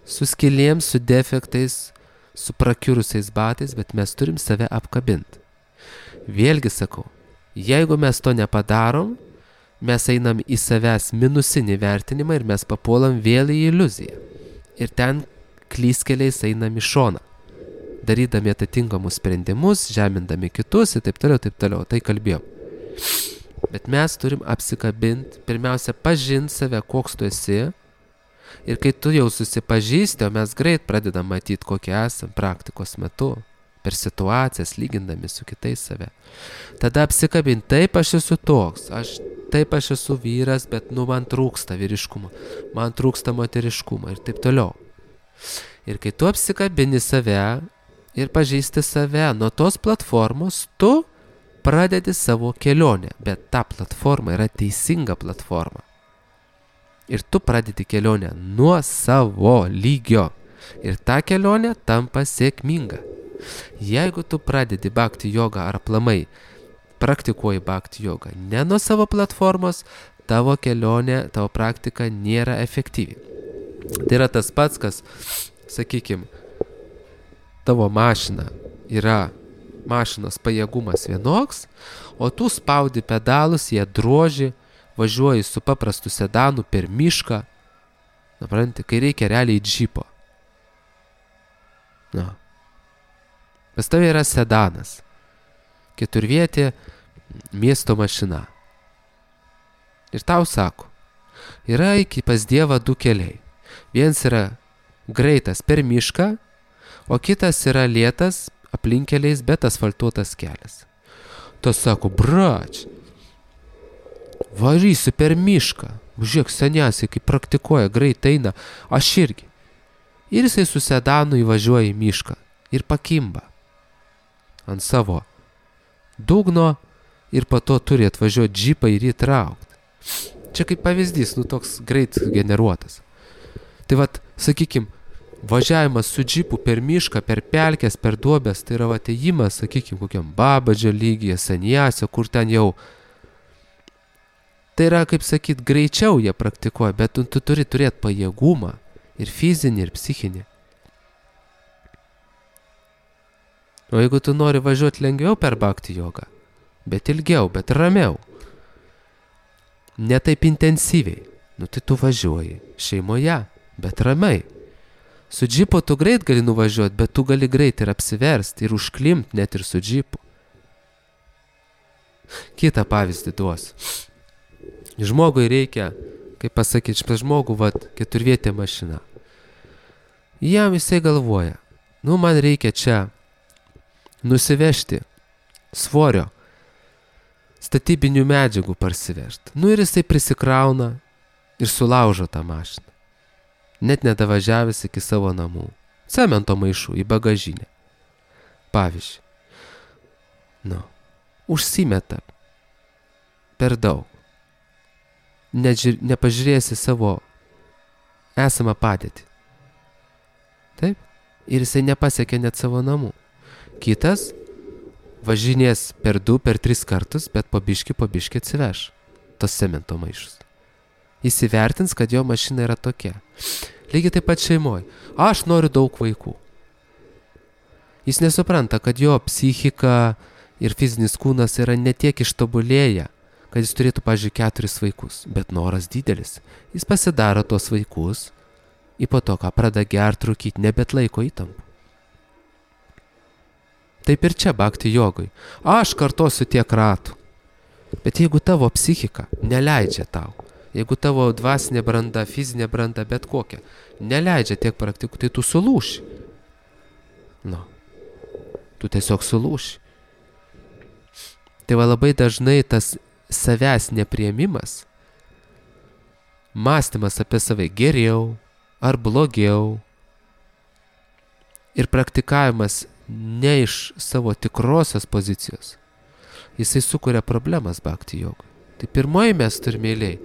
su skylėm, su defektais, su prakiurusiais batais, bet mes turim save apkabinti. Vėlgi sakau, jeigu mes to nepadarom, mes einam į savęs minusinį vertinimą ir mes papuolam vėl į iliuziją. Ir ten klyskeliais einam į šoną, darydami atitinkamus sprendimus, žemindami kitus ir taip toliau, taip toliau, tai kalbėjom. Bet mes turim apsikabinti, pirmiausia, pažinti save, koks tu esi, ir kai tu jau susipažįsti, o mes greit pradedam matyti, kokie esam praktikos metu, per situacijas, lygindami su kitais save. Tada apsikabinti, taip aš esu toks, aš, taip aš esu vyras, bet nu man trūksta vyriškumo, man trūksta moteriškumo ir taip toliau. Ir kai tu apsikabini save ir pažįsti save, nuo tos platformos tu pradedi savo kelionę, bet ta platforma yra teisinga platforma. Ir tu pradedi kelionę nuo savo lygio. Ir ta kelionė tampa sėkminga. Jeigu tu pradedi bhakti jogą ar aplamai praktikuoji bhakti jogą ne nuo savo platformos, tavo kelionė, tavo praktika nėra efektyvi. Tai yra tas pats, kas, sakykime, tavo mašina yra mašinos pajėgumas vienoks, o tu spaudi pedalus, jie droži, važiuoji su paprastu sedanu per mišką, supranti, kai reikia realiai džipo. Na. Pas tavai yra sedanas, keturvietė miesto mašina. Ir tau sako, yra iki pas Dievą du keliai. Vienas yra greitas per mišką, o kitas yra lėtas aplinkeliais, bet asfaltuotas kelias. Tas sako, brač, varysiu per mišką. Žiūrėk, seniausiai, kai praktikuoja, greit eina, aš irgi. Ir jisai su sedanu įvažiuoja į mišką ir pakimba ant savo dugno ir po to turi atvažiuoti džipą ir įtraukti. Čia kaip pavyzdys, nu toks greit generuotas. Tai vat, sakykim, Važiavimas su džipu per mišką, per pelkės, per duobės, tai yra atėjimas, sakykime, kokiam Babadžio lygyje, Sanjasio, kur ten jau. Tai yra, kaip sakyt, greičiau jie praktikuoja, bet tu, tu turi turėti pajėgumą ir fizinį, ir psichinį. O jeigu tu nori važiuoti lengviau per bhakti jogą, bet ilgiau, bet ramiau, ne taip intensyviai, nu tai tu važiuoji šeimoje, bet ramiai. Su džipu tu greit gali nuvažiuoti, bet tu gali greit ir apsiversti, ir užklimti net ir su džipu. Kitą pavyzdį duos. Žmogui reikia, kaip pasakyti, štai žmogų, vat, keturvietė mašina. Jam jisai galvoja, nu man reikia čia nusivežti svorio, statybinių medžiagų parsivežti. Nu ir jisai prisikrauna ir sulaužo tą mašiną. Net nedavažiavęs iki savo namų. Cemento maišų į bagažinę. Pavyzdžiui. Nu, užsimeta per daug. Nežiūr, nepažiūrėsi savo esamą padėtį. Taip? Ir jisai nepasiekė net savo namų. Kitas važinės per du, per tris kartus, bet po biškį, po biškį atsiveš tos cemento maišus. Įsivertins, kad jo mašina yra tokia. Lygiai taip pat šeimoje. Aš noriu daug vaikų. Jis nesupranta, kad jo psichika ir fizinis kūnas yra netiek ištobulėję, kad jis turėtų, pavyzdžiui, keturis vaikus. Bet noras didelis. Jis pasidaro tos vaikus ir po to, ką pradeda gerti, rūkyti, nebet laiko įtampų. Taip ir čia bhakti jogui. Aš kartosiu tiek ratų. Bet jeigu tavo psichika neleidžia tau, jeigu tavo dvasinė branda, fizinė branda, bet kokia, neleidžia tiek praktikų, tai tu sulūši. Nu, tu tiesiog sulūši. Tai va labai dažnai tas savęs nepriėmimas, mąstymas apie save geriau ar blogiau ir praktikavimas ne iš savo tikrosios pozicijos, jisai sukuria problemas bhakti jogui. Tai pirmoji mes turime eilėj.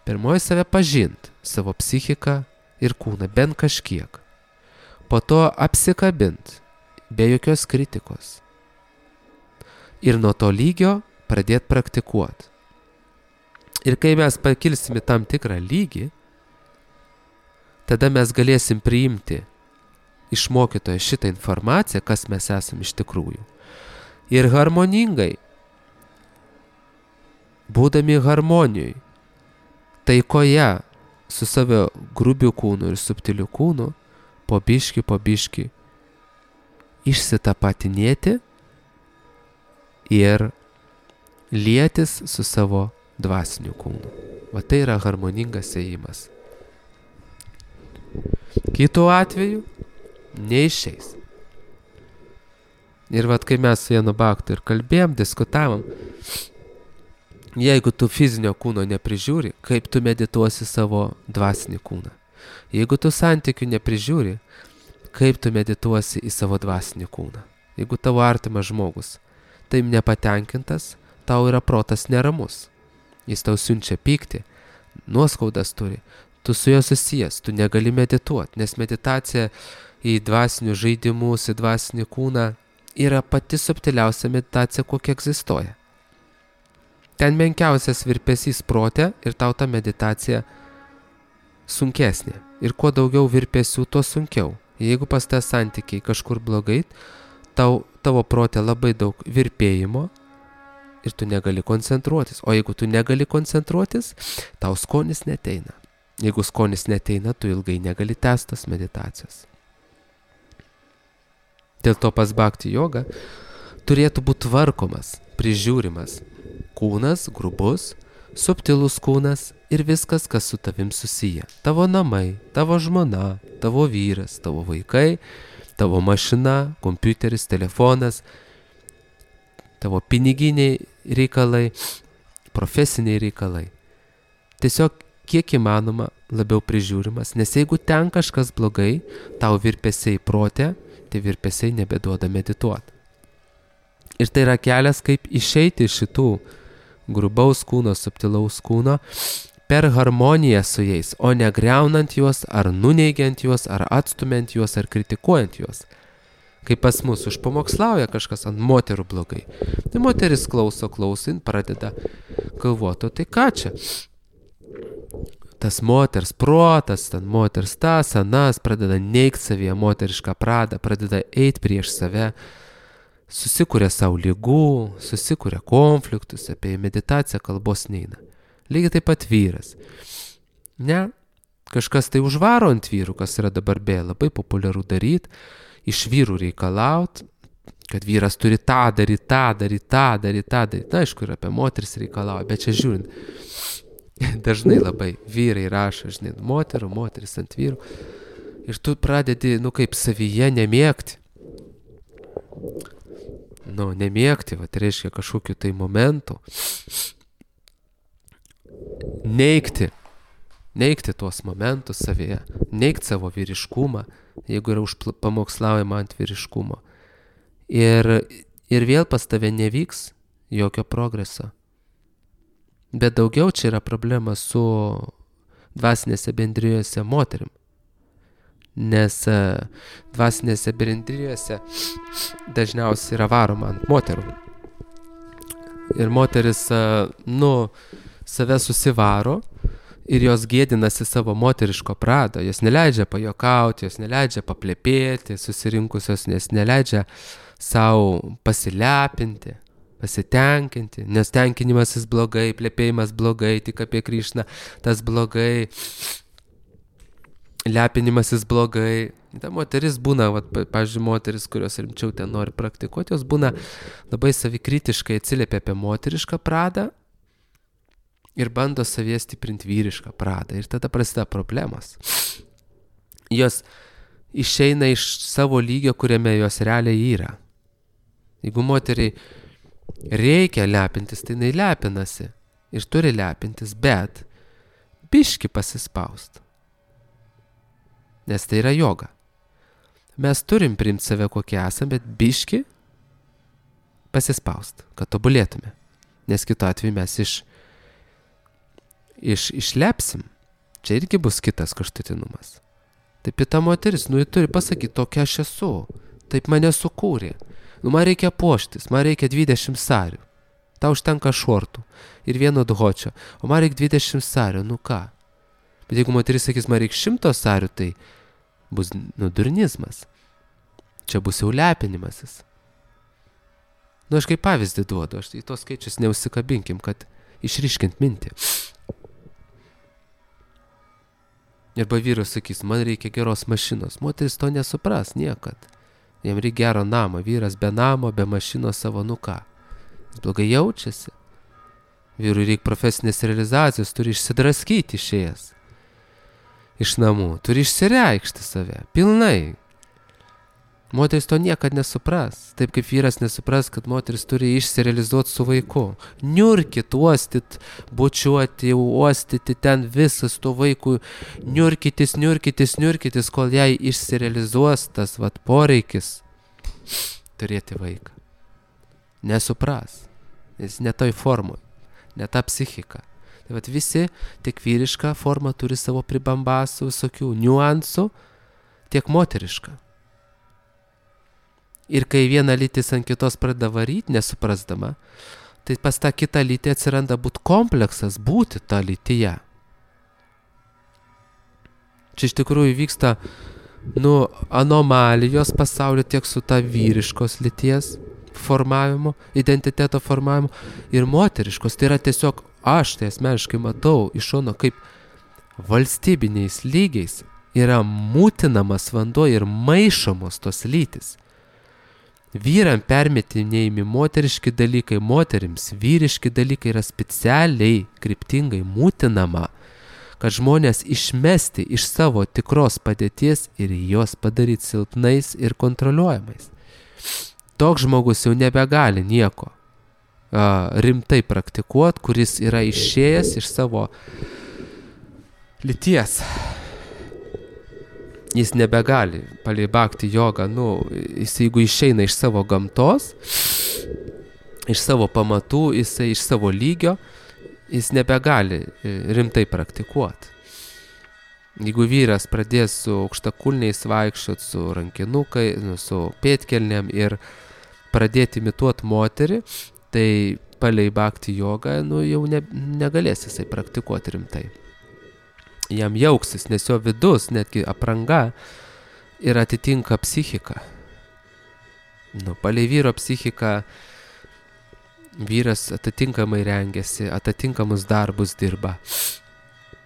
Pirmoji save pažint, savo psichiką ir kūną, bent kažkiek. Po to apsikabint, be jokios kritikos. Ir nuo to lygio pradėti praktikuoti. Ir kai mes pakilsime tam tikrą lygį, tada mes galėsim priimti iš mokytojo šitą informaciją, kas mes esam iš tikrųjų. Ir harmoningai, būdami harmonijoj, taikoje su savo grubiu kūnu ir subtiliu kūnu, po biškį, po biškį išsitapatinėti ir lietis su savo dvasiniu kūnu. Va tai yra harmoningas ėjimas. Kitu atveju neišeis. Ir vat kai mes su vienu bhaktu ir kalbėjom, diskutavom, jeigu tu fizinio kūno neprižiūri, kaip tu medituosi savo dvasinį kūną? Jeigu tu santykių neprižiūri, kaip tu medituosi į savo dvasinį kūną? Jeigu tavo artimas žmogus taip nepatenkintas, tau yra protas neramus. Jis tau siunčia pyktį, nuoskaudas turi, tu su juo susijęs, tu negali medituoti, nes meditacija į dvasinius žaidimus, į dvasinį kūną yra pati subtiliausia meditacija, kokia egzistuoja. Ten menkiausias virpesys prote ir tau ta meditacija sunkesnė. Ir kuo daugiau virpesių, tuo sunkiau. Jeigu pas tave santykiai kažkur blogai, tau, tavo prote labai daug virpėjimo ir tu negali koncentruotis. O jeigu tu negali koncentruotis, tau skonis neteina. Jeigu skonis neteina, tu ilgai negali tęstas meditacijos. Dėl to pas bhakti joga turėtų būti tvarkomas, prižiūrimas kūnas, grubus, subtilus kūnas ir viskas, kas su tavim susiję. Tavo namai, tavo žmona, tavo vyras, tavo vaikai, tavo mašina, kompiuteris, telefonas, tavo piniginiai reikalai, profesiniai reikalai. Tiesiog kiek įmanoma labiau prižiūrimas, nes jeigu ten kažkas blogai, tau virpesiai prote, tai virpesiai nebeduoda medituoti. Ir tai yra kelias, kaip išeiti iš šitų grubaus kūno, subtilaus kūno, per harmoniją su jais, o ne griaunant juos, ar nuneigiant juos, ar atstumiant juos, ar kritikuojant juos. Kai pas mus užpamokslauja kažkas ant moterų blogai, tai moteris klauso, klausin, pradeda galvoti, tai ką čia? Tas moters protas, ten moters tas, anas, pradeda neigt savyje moterišką pradą, pradeda eit prieš save, susikuria savo lygų, susikuria konfliktus, apie meditaciją kalbos neina. Lygiai taip pat vyras. Ne, kažkas tai užvaro ant vyrų, kas yra dabar be, labai populiaru daryti, iš vyrų reikalaut, kad vyras turi tą daryti, tą daryti, tą daryti, tą daryti. Na, aišku, ir apie moteris reikalauja, bet čia žiūrint, dažnai labai vyrai rašo, žinai, moterų, moteris ant vyrų. Ir tu pradedi, nu, kaip savyje nemėgti. Nu, nemėgti, va, tai reiškia kažkokiu tai momentu. Neigti, neigti tuos momentus savyje, neigti savo vyriškumą, jeigu yra užpamokslaujama ant vyriškumo. Ir, ir vėl pas tave nevyks jokio progreso. Bet daugiau čia yra problema su dvasinėse bendrijose moterim. Nes dvasinėse bendrijose dažniausiai yra varoma ant moterų. Ir moteris, nu, save susivaro ir jos gėdinasi savo moteriško prado. Jos neleidžia pajokauti, jos neleidžia paplepėti susirinkusios, nes neleidžia savo pasilepinti, pasitenkinti, nes tenkinimasis blogai, plepėjimas blogai, tik apie Krišną tas blogai, lepinimasis blogai. Ta moteris būna, vat, pavyzdžiui, moteris, kurios rimčiau ten nori praktikuoti, jos būna labai savikritiškai atsiliepia apie moterišką pradą ir bando savyje stiprinti vyrišką pradą. Ir tada prasideda problemos. Jos išeina iš savo lygio, kuriame jos realiai yra. Jeigu moteriai reikia lepintis, tai jinai lepinasi ir turi lepintis, bet biški pasispaust. Nes tai yra joga. Mes turim priimti save kokie esam, bet biški pasispaust, kad tobulėtume. Nes kitu atveju mes iš Iš, išlepsim. Čia irgi bus kitas kraštutinumas. Taip ir ta moteris, nu, ji turi pasakyti, tokia aš esu. Taip mane sukūrė. Nu, man reikia puoštis, man reikia dvidešimt sarių. Tau užtenka šortų ir vieno dhočio. O man reikia dvidešimt sarių, nu ką? Bet jeigu moteris sakys, man reikia šimto sarių, tai bus, nu, durnizmas. Čia bus jau lepinimasis. Nu, aš kaip pavyzdį duodu, aš į tos skaičius neusikabinkim, kad išryškint mintį. Arba vyras sakys, man reikia geros mašinos. Moteris to nesupras niekad. Jam reikia gero namo. Vyras be namo, be mašinos savo, nu ką. Jis blogai jaučiasi. Vyrui reikia profesinės realizacijos, turi išsidraskyti išėjęs iš namų. Turi išsireikšti save. Pilnai. Moteris to niekad nesupras. Taip kaip vyras nesupras, kad moteris turi išsirealizuoti su vaiku. Niurkit, uostit, bučiuoti, uostyti ten visas to vaikų. Niurkitis, niurkitis, niurkitis, kol jai išsirealizuos tas vat poreikis turėti vaiką. Nesupras. Jis ne toj formoj. Ne ta psichika. Tai vat visi, tiek vyriška forma turi savo pribambasų, visokių niuansų, tiek moteriška. Ir kai viena lytis ant kitos pradeda varyti, nesuprasdama, tai pas tą kitą lytį atsiranda būt kompleksas, būti tą lytyje. Čia iš tikrųjų vyksta, nu, anomalijos pasaulio tiek su ta vyriškos lyties formavimu, identiteto formavimu ir moteriškos. Tai yra tiesiog, aš tai asmeniškai matau iš šono, kaip valstybiniais lygiais yra mūtinamas vanduo ir maišomos tos lytis. Vyram permetinėjami moteriški dalykai, moterims vyriški dalykai yra specialiai, kryptingai mūtinama, kad žmonės išmesti iš savo tikros padėties ir juos padaryti silpnais ir kontroliuojamais. Toks žmogus jau nebegali nieko a, rimtai praktikuoti, kuris yra išėjęs iš savo lyties. Jis nebegali palei bhakti jogą, nu, jis jeigu išeina iš savo gamtos, iš savo pamatų, jisai iš savo lygio, jis nebegali rimtai praktikuoti. Jeigu vyras pradės su aukštakulniais vaikščiot, su rankinukai, nu, su pėtkelnėm ir pradėti imituoti moterį, tai palei bhakti jogą, nu, jau ne, negalės jisai praktikuoti rimtai. Jam jauksis, nes jo vidus, netgi apranga, ir atitinka psichiką. Nu, palei vyro psichiką vyras atitinkamai rengiasi, atitinkamus darbus dirba.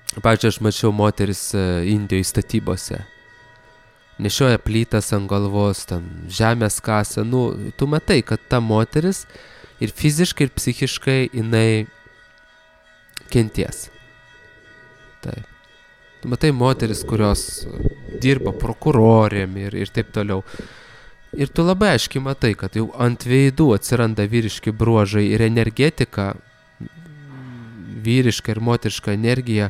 Pavyzdžiui, aš mačiau moteris Indijoje statybose. Nešioja plytas ant galvos, ten žemės kasa. Nu, tu matai, kad ta moteris ir fiziškai, ir psichiškai jinai kenties. Taip. Tu matai moteris, kurios dirba prokurorėm ir, ir taip toliau. Ir tu labai aiškiai matai, kad jau ant veidų atsiranda vyriški bruožai ir energetika, vyriška ir moteriška energija,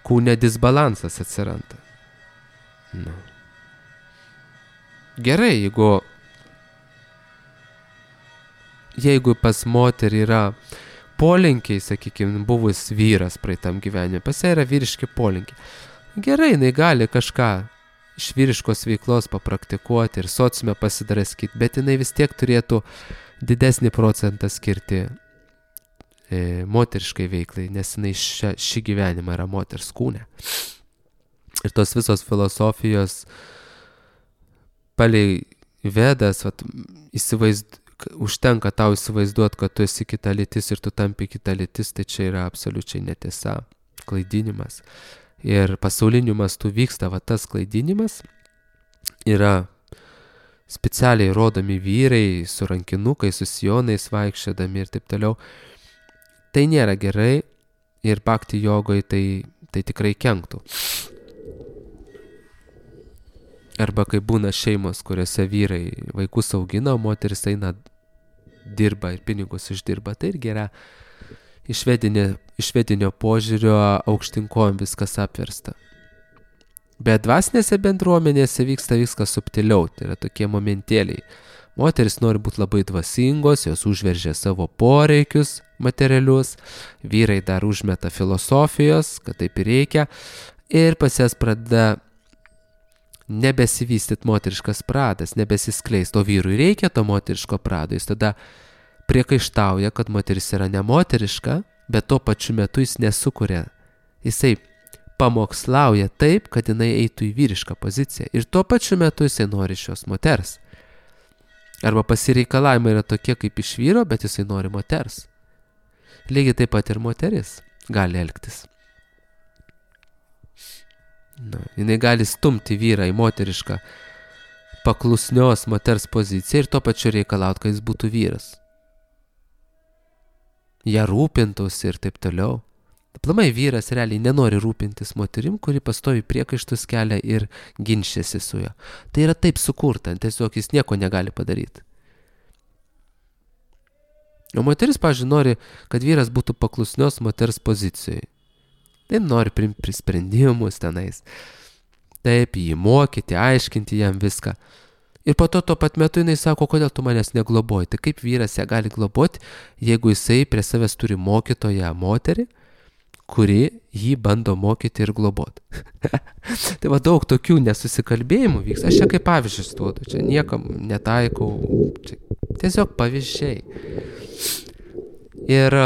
kūne disbalansas atsiranda. Nu. Gerai, jeigu, jeigu pas moterį yra polinkiai, sakykime, buvus vyras praeitam gyvenime, pas ją yra vyriški polinkiai. Gerai, jinai gali kažką iš vyriškos veiklos papraktikuoti ir sociume pasidraskyti, bet jinai vis tiek turėtų didesnį procentą skirti e, moteriškai veiklai, nes jinai šia, šį gyvenimą yra moters kūne. Ir tos visos filosofijos palei vedas, vat, įsivaizd, užtenka tau įsivaizduoti, kad tu esi kita lytis ir tu tampi kita lytis, tai čia yra absoliučiai netiesa, klaidinimas. Ir pasauliniu mastu vyksta va tas klaidinimas, yra specialiai rodomi vyrai su rankinukai, su sijonais vaikščiodami ir taip toliau. Tai nėra gerai ir bhakti jogoje tai, tai tikrai kenktų. Arba kai būna šeimos, kuriuose vyrai vaikus augina, o moteris eina dirba ir pinigus uždirba, tai irgi yra iš vedinio, iš vedinio požiūrio aukštinkojom viskas apversta. Bet dvasinėse bendruomenėse vyksta viskas subtiliau, tai yra tokie momentėliai. Moteris nori būti labai dvasingos, jos užveržia savo poreikius materialius, vyrai dar užmeta filosofijos, kad taip ir reikia, ir pas jas pradeda nebesivystyt moteriškas pradas, nebesiskleist, o vyrui reikia to moteriško prado, jis tada priekaištauja, kad moteris yra nemoteriška, bet tuo pačiu metu jis nesukuria. Jisai pamokslauja taip, kad jinai eitų į vyrišką poziciją ir tuo pačiu metu jisai nori šios moters. Arba pasireikalavimai yra tokie kaip iš vyro, bet jisai nori moters. Lygiai taip pat ir moteris gali elgtis. Na, jinai gali stumti vyrą į moterišką paklusnios moters poziciją ir tuo pačiu reikalauti, kad jis būtų vyras. Ja rūpintųsi ir taip toliau. Aplamai vyras realiai nenori rūpintis moterim, kuri pastovi priekaištus kelia ir ginčiasi su juo. Tai yra taip sukurta, tiesiog jis nieko negali padaryti. O moteris, pavyzdžiui, nori, kad vyras būtų paklusnios moters pozicijoje. Taip nori priimti sprendimus tenais. Taip, jį mokyti, aiškinti jam viską. Ir po to tuo pat metu jinai sako, kodėl tu manęs negloboji. Tai kaip vyras ją gali globoti, jeigu jisai prie savęs turi mokytoją moterį, kuri jį bando mokyti ir globoti. Tai va daug tokių nesusikalbėjimų vyks. Aš čia kaip pavyzdžius duodu, čia niekam netaikau, čia tiesiog pavyzdžiai. Ir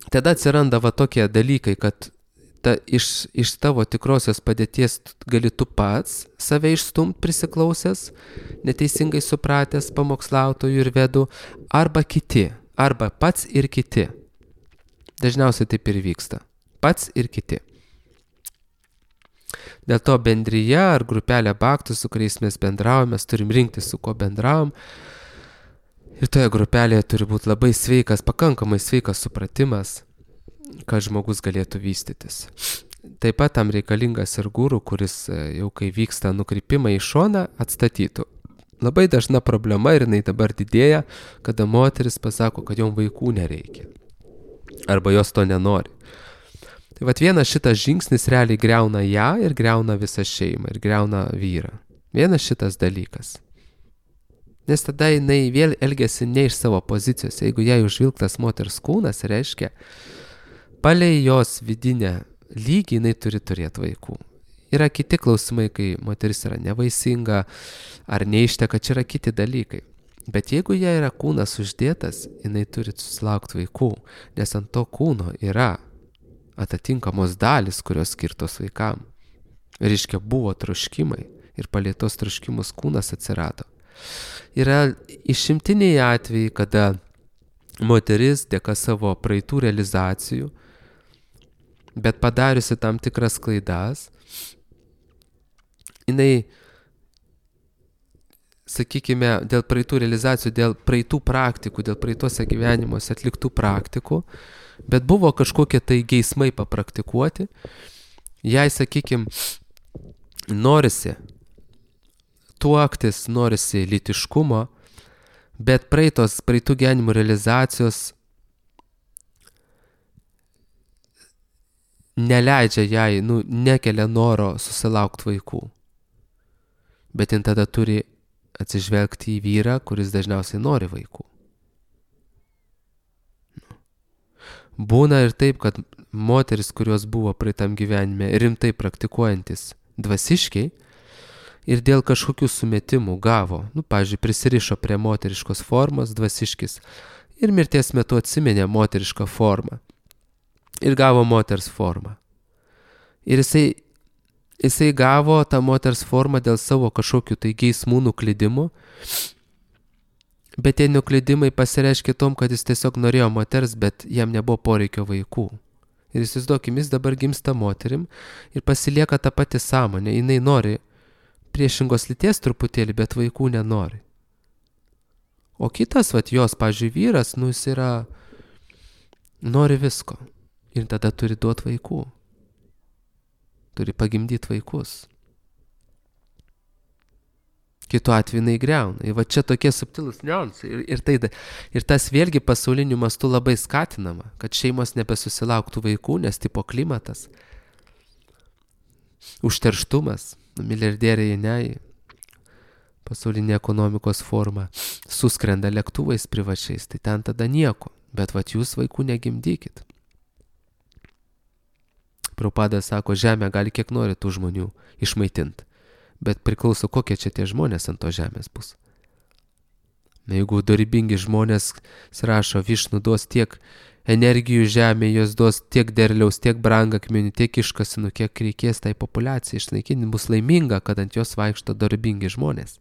tada atsiranda va tokie dalykai, kad ta, iš, iš tavo tikrosios padėties gali tu pats save išstumt prisiklausęs, neteisingai supratęs pamokslautojų ir vedų, arba kiti, arba pats ir kiti. Dažniausiai taip ir vyksta. Pats ir kiti. Dėl to bendryje ar grupelė bhaktų, su kuriais mes bendraujame, mes turim rinkti, su kuo bendraujam. Ir toje grupelėje turi būti labai sveikas, pakankamai sveikas supratimas, kad žmogus galėtų vystytis. Taip pat tam reikalingas ir guru, kuris jau kai vyksta nukrypimai į šoną, atstatytų. Labai dažna problema ir jinai dabar didėja, kada moteris pasako, kad jom vaikų nereikia. Arba jos to nenori. Tai vat vienas šitas žingsnis realiai griauna ją ir griauna visą šeimą ir griauna vyrą. Vienas šitas dalykas. Nes tada jinai vėl elgiasi ne iš savo pozicijos. Jeigu jai užvilktas moters kūnas, reiškia, palei jos vidinę lygį jinai turi turėti vaikų. Yra kiti klausimai, kai moteris yra nevaisinga ar neišteka, čia yra kiti dalykai. Bet jeigu jai yra kūnas uždėtas, jinai turi susilaukti vaikų, nes ant to kūno yra atitinkamos dalis, kurios skirtos vaikam. Reiškia, buvo troškimai ir palei tos troškimus kūnas atsirado. Yra išimtiniai atvejai, kada moteris dėka savo praeitų realizacijų, bet padariusi tam tikras klaidas, jinai, sakykime, dėl praeitų realizacijų, dėl praeitų praktikų, dėl praeituose gyvenimuose atliktų praktikų, bet buvo kažkokie tai geismai papraktikuoti, jai, sakykime, norisi tuoktis, norisi lytiškumo, bet praeitos, praeitų gyvenimų realizacijos neleidžia jai, nu, nekelia noro susilaukti vaikų. Bet jin tada turi atsižvelgti į vyrą, kuris dažniausiai nori vaikų. Būna ir taip, kad moteris, kurios buvo praeitam gyvenime rimtai praktikuojantis dvasiškiai ir dėl kažkokių sumetimų gavo, nu, pavyzdžiui, prisirišo prie moteriškos formos dvasiškis ir mirties metu atsiminė moterišką formą ir gavo moters formą. Ir jisai Jisai gavo tą moters formą dėl savo kažkokių tai geismų nuklydimų, bet tie nuklydimai pasireiškė tom, kad jis tiesiog norėjo moters, bet jam nebuvo poreikio vaikų. Ir įsivaizduokim, jis dabar gimsta moterim ir pasilieka tą patį sąmonę. Jinai nori priešingos lyties truputėlį, bet vaikų nenori. O kitas, vat jos, pavyzdžiui, vyras, nu jis yra, nori visko ir tada turi duoti vaikų. Turi pagimdyti vaikus. Kitu atveju jinai greuna. Ir va čia tokie subtilūs niuansai. Ir, ir, tai, ir tas vėlgi pasauliniu mastu labai skatinama, kad šeimos nebesusilauktų vaikų, nes tipo klimatas, užterštumas, milijardieriai ne, pasaulinė ekonomikos forma, suskrenda lėktuvais privačiais, tai ten tada nieko. Bet va jūs vaikų negimdykit. Prabhupada sako, žemė gali kiek nori tų žmonių išmaitinti, bet priklauso, kokie čia tie žmonės ant to žemės bus. Jeigu dorybingi žmonės, rašo, Višnu duos tiek energijų žemė, jos duos tiek derliaus, tiek brangakmenių, tiek iškasinų, kiek reikės tai populiacijai išnaikinti, bus laiminga, kad ant jos vaikšto dorybingi žmonės.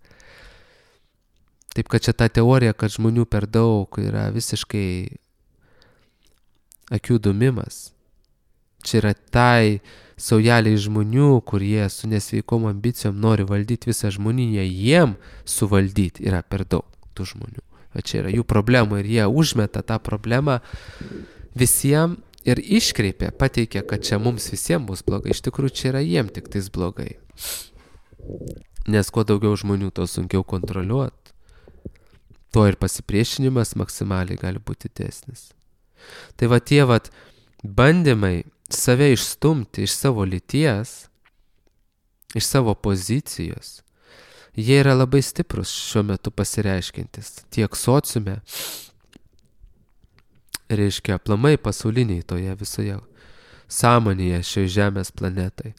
Taip, kad čia ta teorija, kad žmonių per daug yra visiškai akių dumimas. Čia yra tai saujeliai žmonių, kurie su nesveikom ambicijom nori valdyti visą žmoniją, jiem suvaldyti yra per daug tų žmonių. O čia yra jų problema ir jie užmeta tą problemą visiems ir iškreipia, pateikia, kad čia mums visiems bus blogai. Iš tikrųjų, čia yra jiem tik tais blogai. Nes kuo daugiau žmonių, to sunkiau kontroliuoti, tuo ir pasipriešinimas maksimaliai gali būti didesnis. Tai va tie vat bandymai save išstumti iš savo lyties, iš savo pozicijos, jie yra labai stiprus šiuo metu pasireiškintis tiek sociume, reiškia aplamai pasauliniai toje visoje sąmonėje šioje žemės planetai.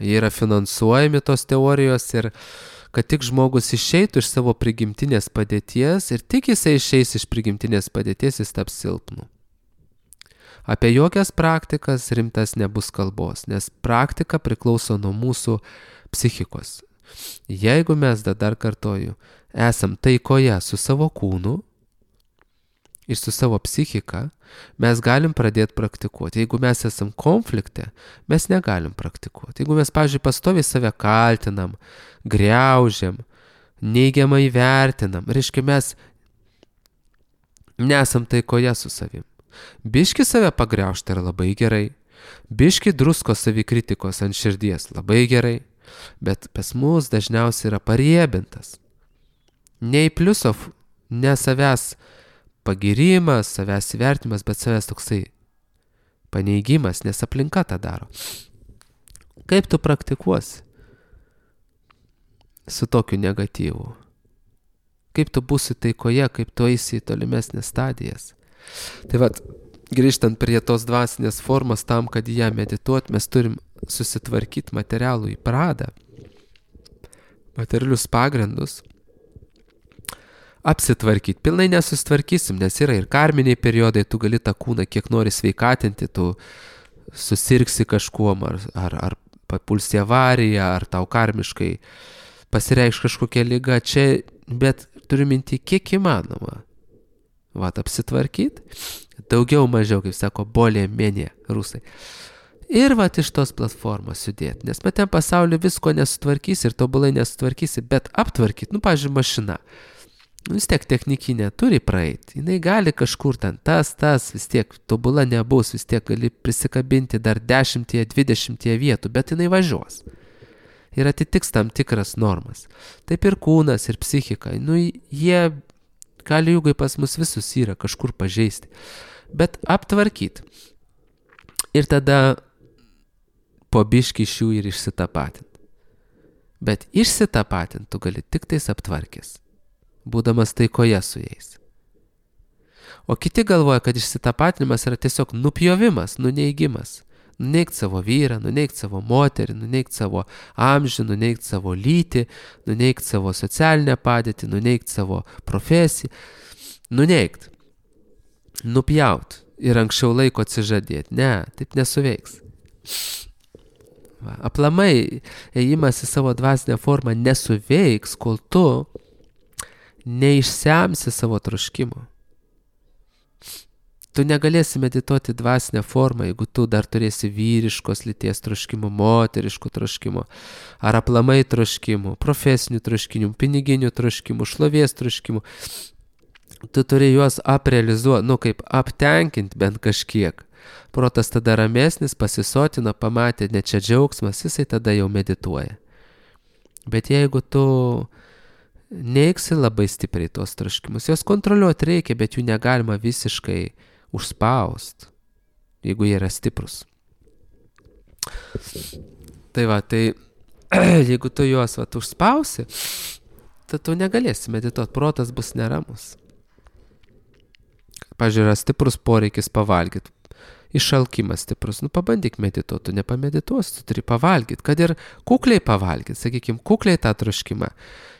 Jie yra finansuojami tos teorijos ir kad tik žmogus išeitų iš savo prigimtinės padėties ir tik jisai išeis iš prigimtinės padėties, jis taps silpnu. Apie jokias praktikas rimtas nebus kalbos, nes praktika priklauso nuo mūsų psichikos. Jeigu mes, dar kartoju, esam taikoje su savo kūnu ir su savo psichika, mes galim pradėti praktikuoti. Jeigu mes esam konflikte, mes negalim praktikuoti. Jeigu mes, pavyzdžiui, pastoviai save kaltinam, griaužiam, neigiamai vertinam, reiškia mes nesam taikoje su savim. Biški save pagriaužti yra labai gerai, biški drusko savikritikos ant širdies labai gerai, bet pas mus dažniausiai yra pariebintas. Ne į pliusov, ne savęs pagirimas, savęs įvertimas, bet savęs toksai paneigimas, nes aplinka tą daro. Kaip tu praktikuosi su tokiu negatyvu? kaip tu būsi taikoje, kaip tu eisi į tolimesnės stadijas. Tai vat, grįžtant prie tos dvasinės formos, tam, kad ją medituot, mes turim susitvarkyti materialų į pradą, materialius pagrindus, apsitvarkyti. Pilnai nesusitvarkysim, nes yra ir karminiai periodai, tu gali tą kūną kiek nori sveikatinti, tu susirgsi kažkuom, ar, ar, ar papulsi avariją, ar tau karmiškai pasireikš kažkokia liga čia, bet turiu minti kiek įmanoma. Vat, apsitvarkyti, daugiau mažiau, kaip sako, bolė menė rusai. Ir vat iš tos platformos judėti, nes matėm pasaulio visko nesutvarkysi ir tobulai nesutvarkysi, bet aptvarkyti, nu, pavyzdžiui, mašina. Nu, vis tiek technikinė turi praeiti, jinai gali kažkur ten tas, tas, vis tiek tobula nebus, vis tiek gali prisikabinti dar dešimtie, dvidešimtie vietų, bet jinai važiuos. Ir atitiks tam tikras normas. Taip ir kūnas, ir psichika, nu, jie gali jūgai pas mus visus yra kažkur pažeisti, bet aptvarkyti. Ir tada po biškį iš jų ir išsitapatinti. Bet išsitapatinti tu gali tik tais aptvarkęs, būdamas taikoje su jais. O kiti galvoja, kad išsitapatinimas yra tiesiog nupjovimas, nuneigimas. Nuneigt savo vyrą, nuneigt savo moterį, nuneigt savo amžių, nuneigt savo lytį, nuneigt savo socialinę padėtį, nuneigt savo profesiją. Nuneigt. Nupjaut. Ir anksčiau laiko atsižadėti. Ne, taip nesuveiks. Va, aplamai, ėjimas į savo dvasinę formą nesuveiks, kol tu neišsemsi savo troškimo. Tu negalėsi medituoti dvasinę formą, jeigu tu dar turėsi vyriškos lyties troškimo, moteriškų troškimo, ar aplamai troškimų, profesinių troškimų, piniginių troškimų, šlovės troškimų. Tu turi juos aprealizuoti, nu kaip aptenkinti bent kažkiek. Protas tada ramesnis, pasisotina, pamatė, ne čia džiaugsmas, jisai tada jau medituoja. Bet jeigu tu neiksi labai stipriai tos troškimus, jos kontroliuoti reikia, bet jų negalima visiškai užspaust, jeigu jie yra stiprus. Tai va, tai jeigu tu juos va, užspausi, tai tu negalėsi medituoti, protas bus neramus. Pavyzdžiui, yra stiprus poreikis pavalgyti, išalkimas stiprus, nu pabandyk medituoti, tu nepamedituosi, tu turi pavalgyti, kad ir kukliai pavalgyti, sakykime, kukliai tą troškimą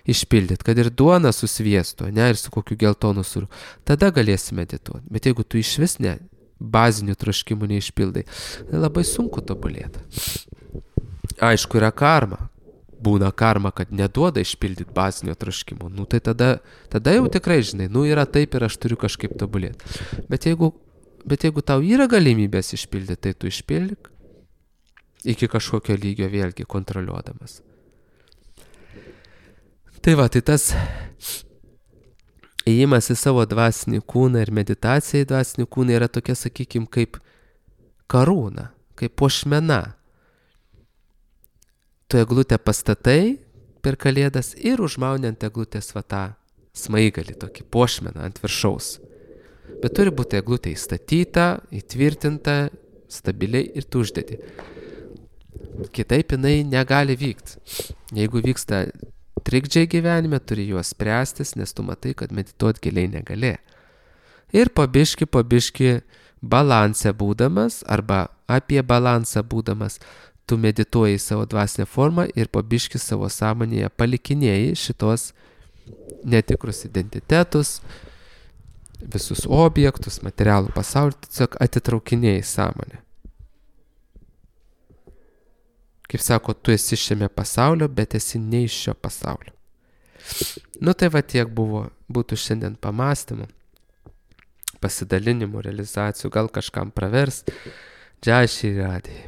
išpildyti, kad ir duona su sviestu, ne, ir su kokiu geltonu sūriu, tada galėsi medituoti. Bet jeigu tu iš vis ne, bazinių troškimų neišpildai, tai labai sunku tobulėti. Aišku, yra karma. Būna karma, kad neduoda išpildyti bazinio troškimo. Nu, tai tada, tada jau tikrai, žinai, nu yra taip ir aš turiu kažkaip tobulėti. Bet jeigu, bet jeigu tau yra galimybės išpildyti, tai tu išpildyk iki kažkokio lygio vėlgi kontroliuodamas. Tai va, tai tas ėjimas į savo dvasinį kūną ir meditacija į dvasinį kūną yra tokia, sakykime, kaip karūna, kaip puošmena. Tu eglutę pastatai per kalėdas ir užmauni ant eglutės va tą smaigalį, tokį puošmeną ant viršaus. Bet turi būti eglutė įstatyta, įtvirtinta, stabiliai ir tu uždedi. Kitaip jinai negali vykti. Jeigu vyksta trikdžiai gyvenime, turi juos spręstis, nes tu matai, kad medituoti giliai negali. Ir po biškį, po biškį balanse būdamas arba apie balansą būdamas, tu medituoji savo dvasinę formą ir po biškį savo sąmonėje palikinėjai šitos netikrus identitetus, visus objektus, materialų pasaulį, tiesiog atitraukinėjai sąmonę. Kaip sako, tu esi šiame pasaulio, bet esi ne iš šio pasaulio. Nu tai va tiek buvo, būtų šiandien pamastymų, pasidalinimų, realizacijų, gal kažkam pravers. Džai Šri Radhe.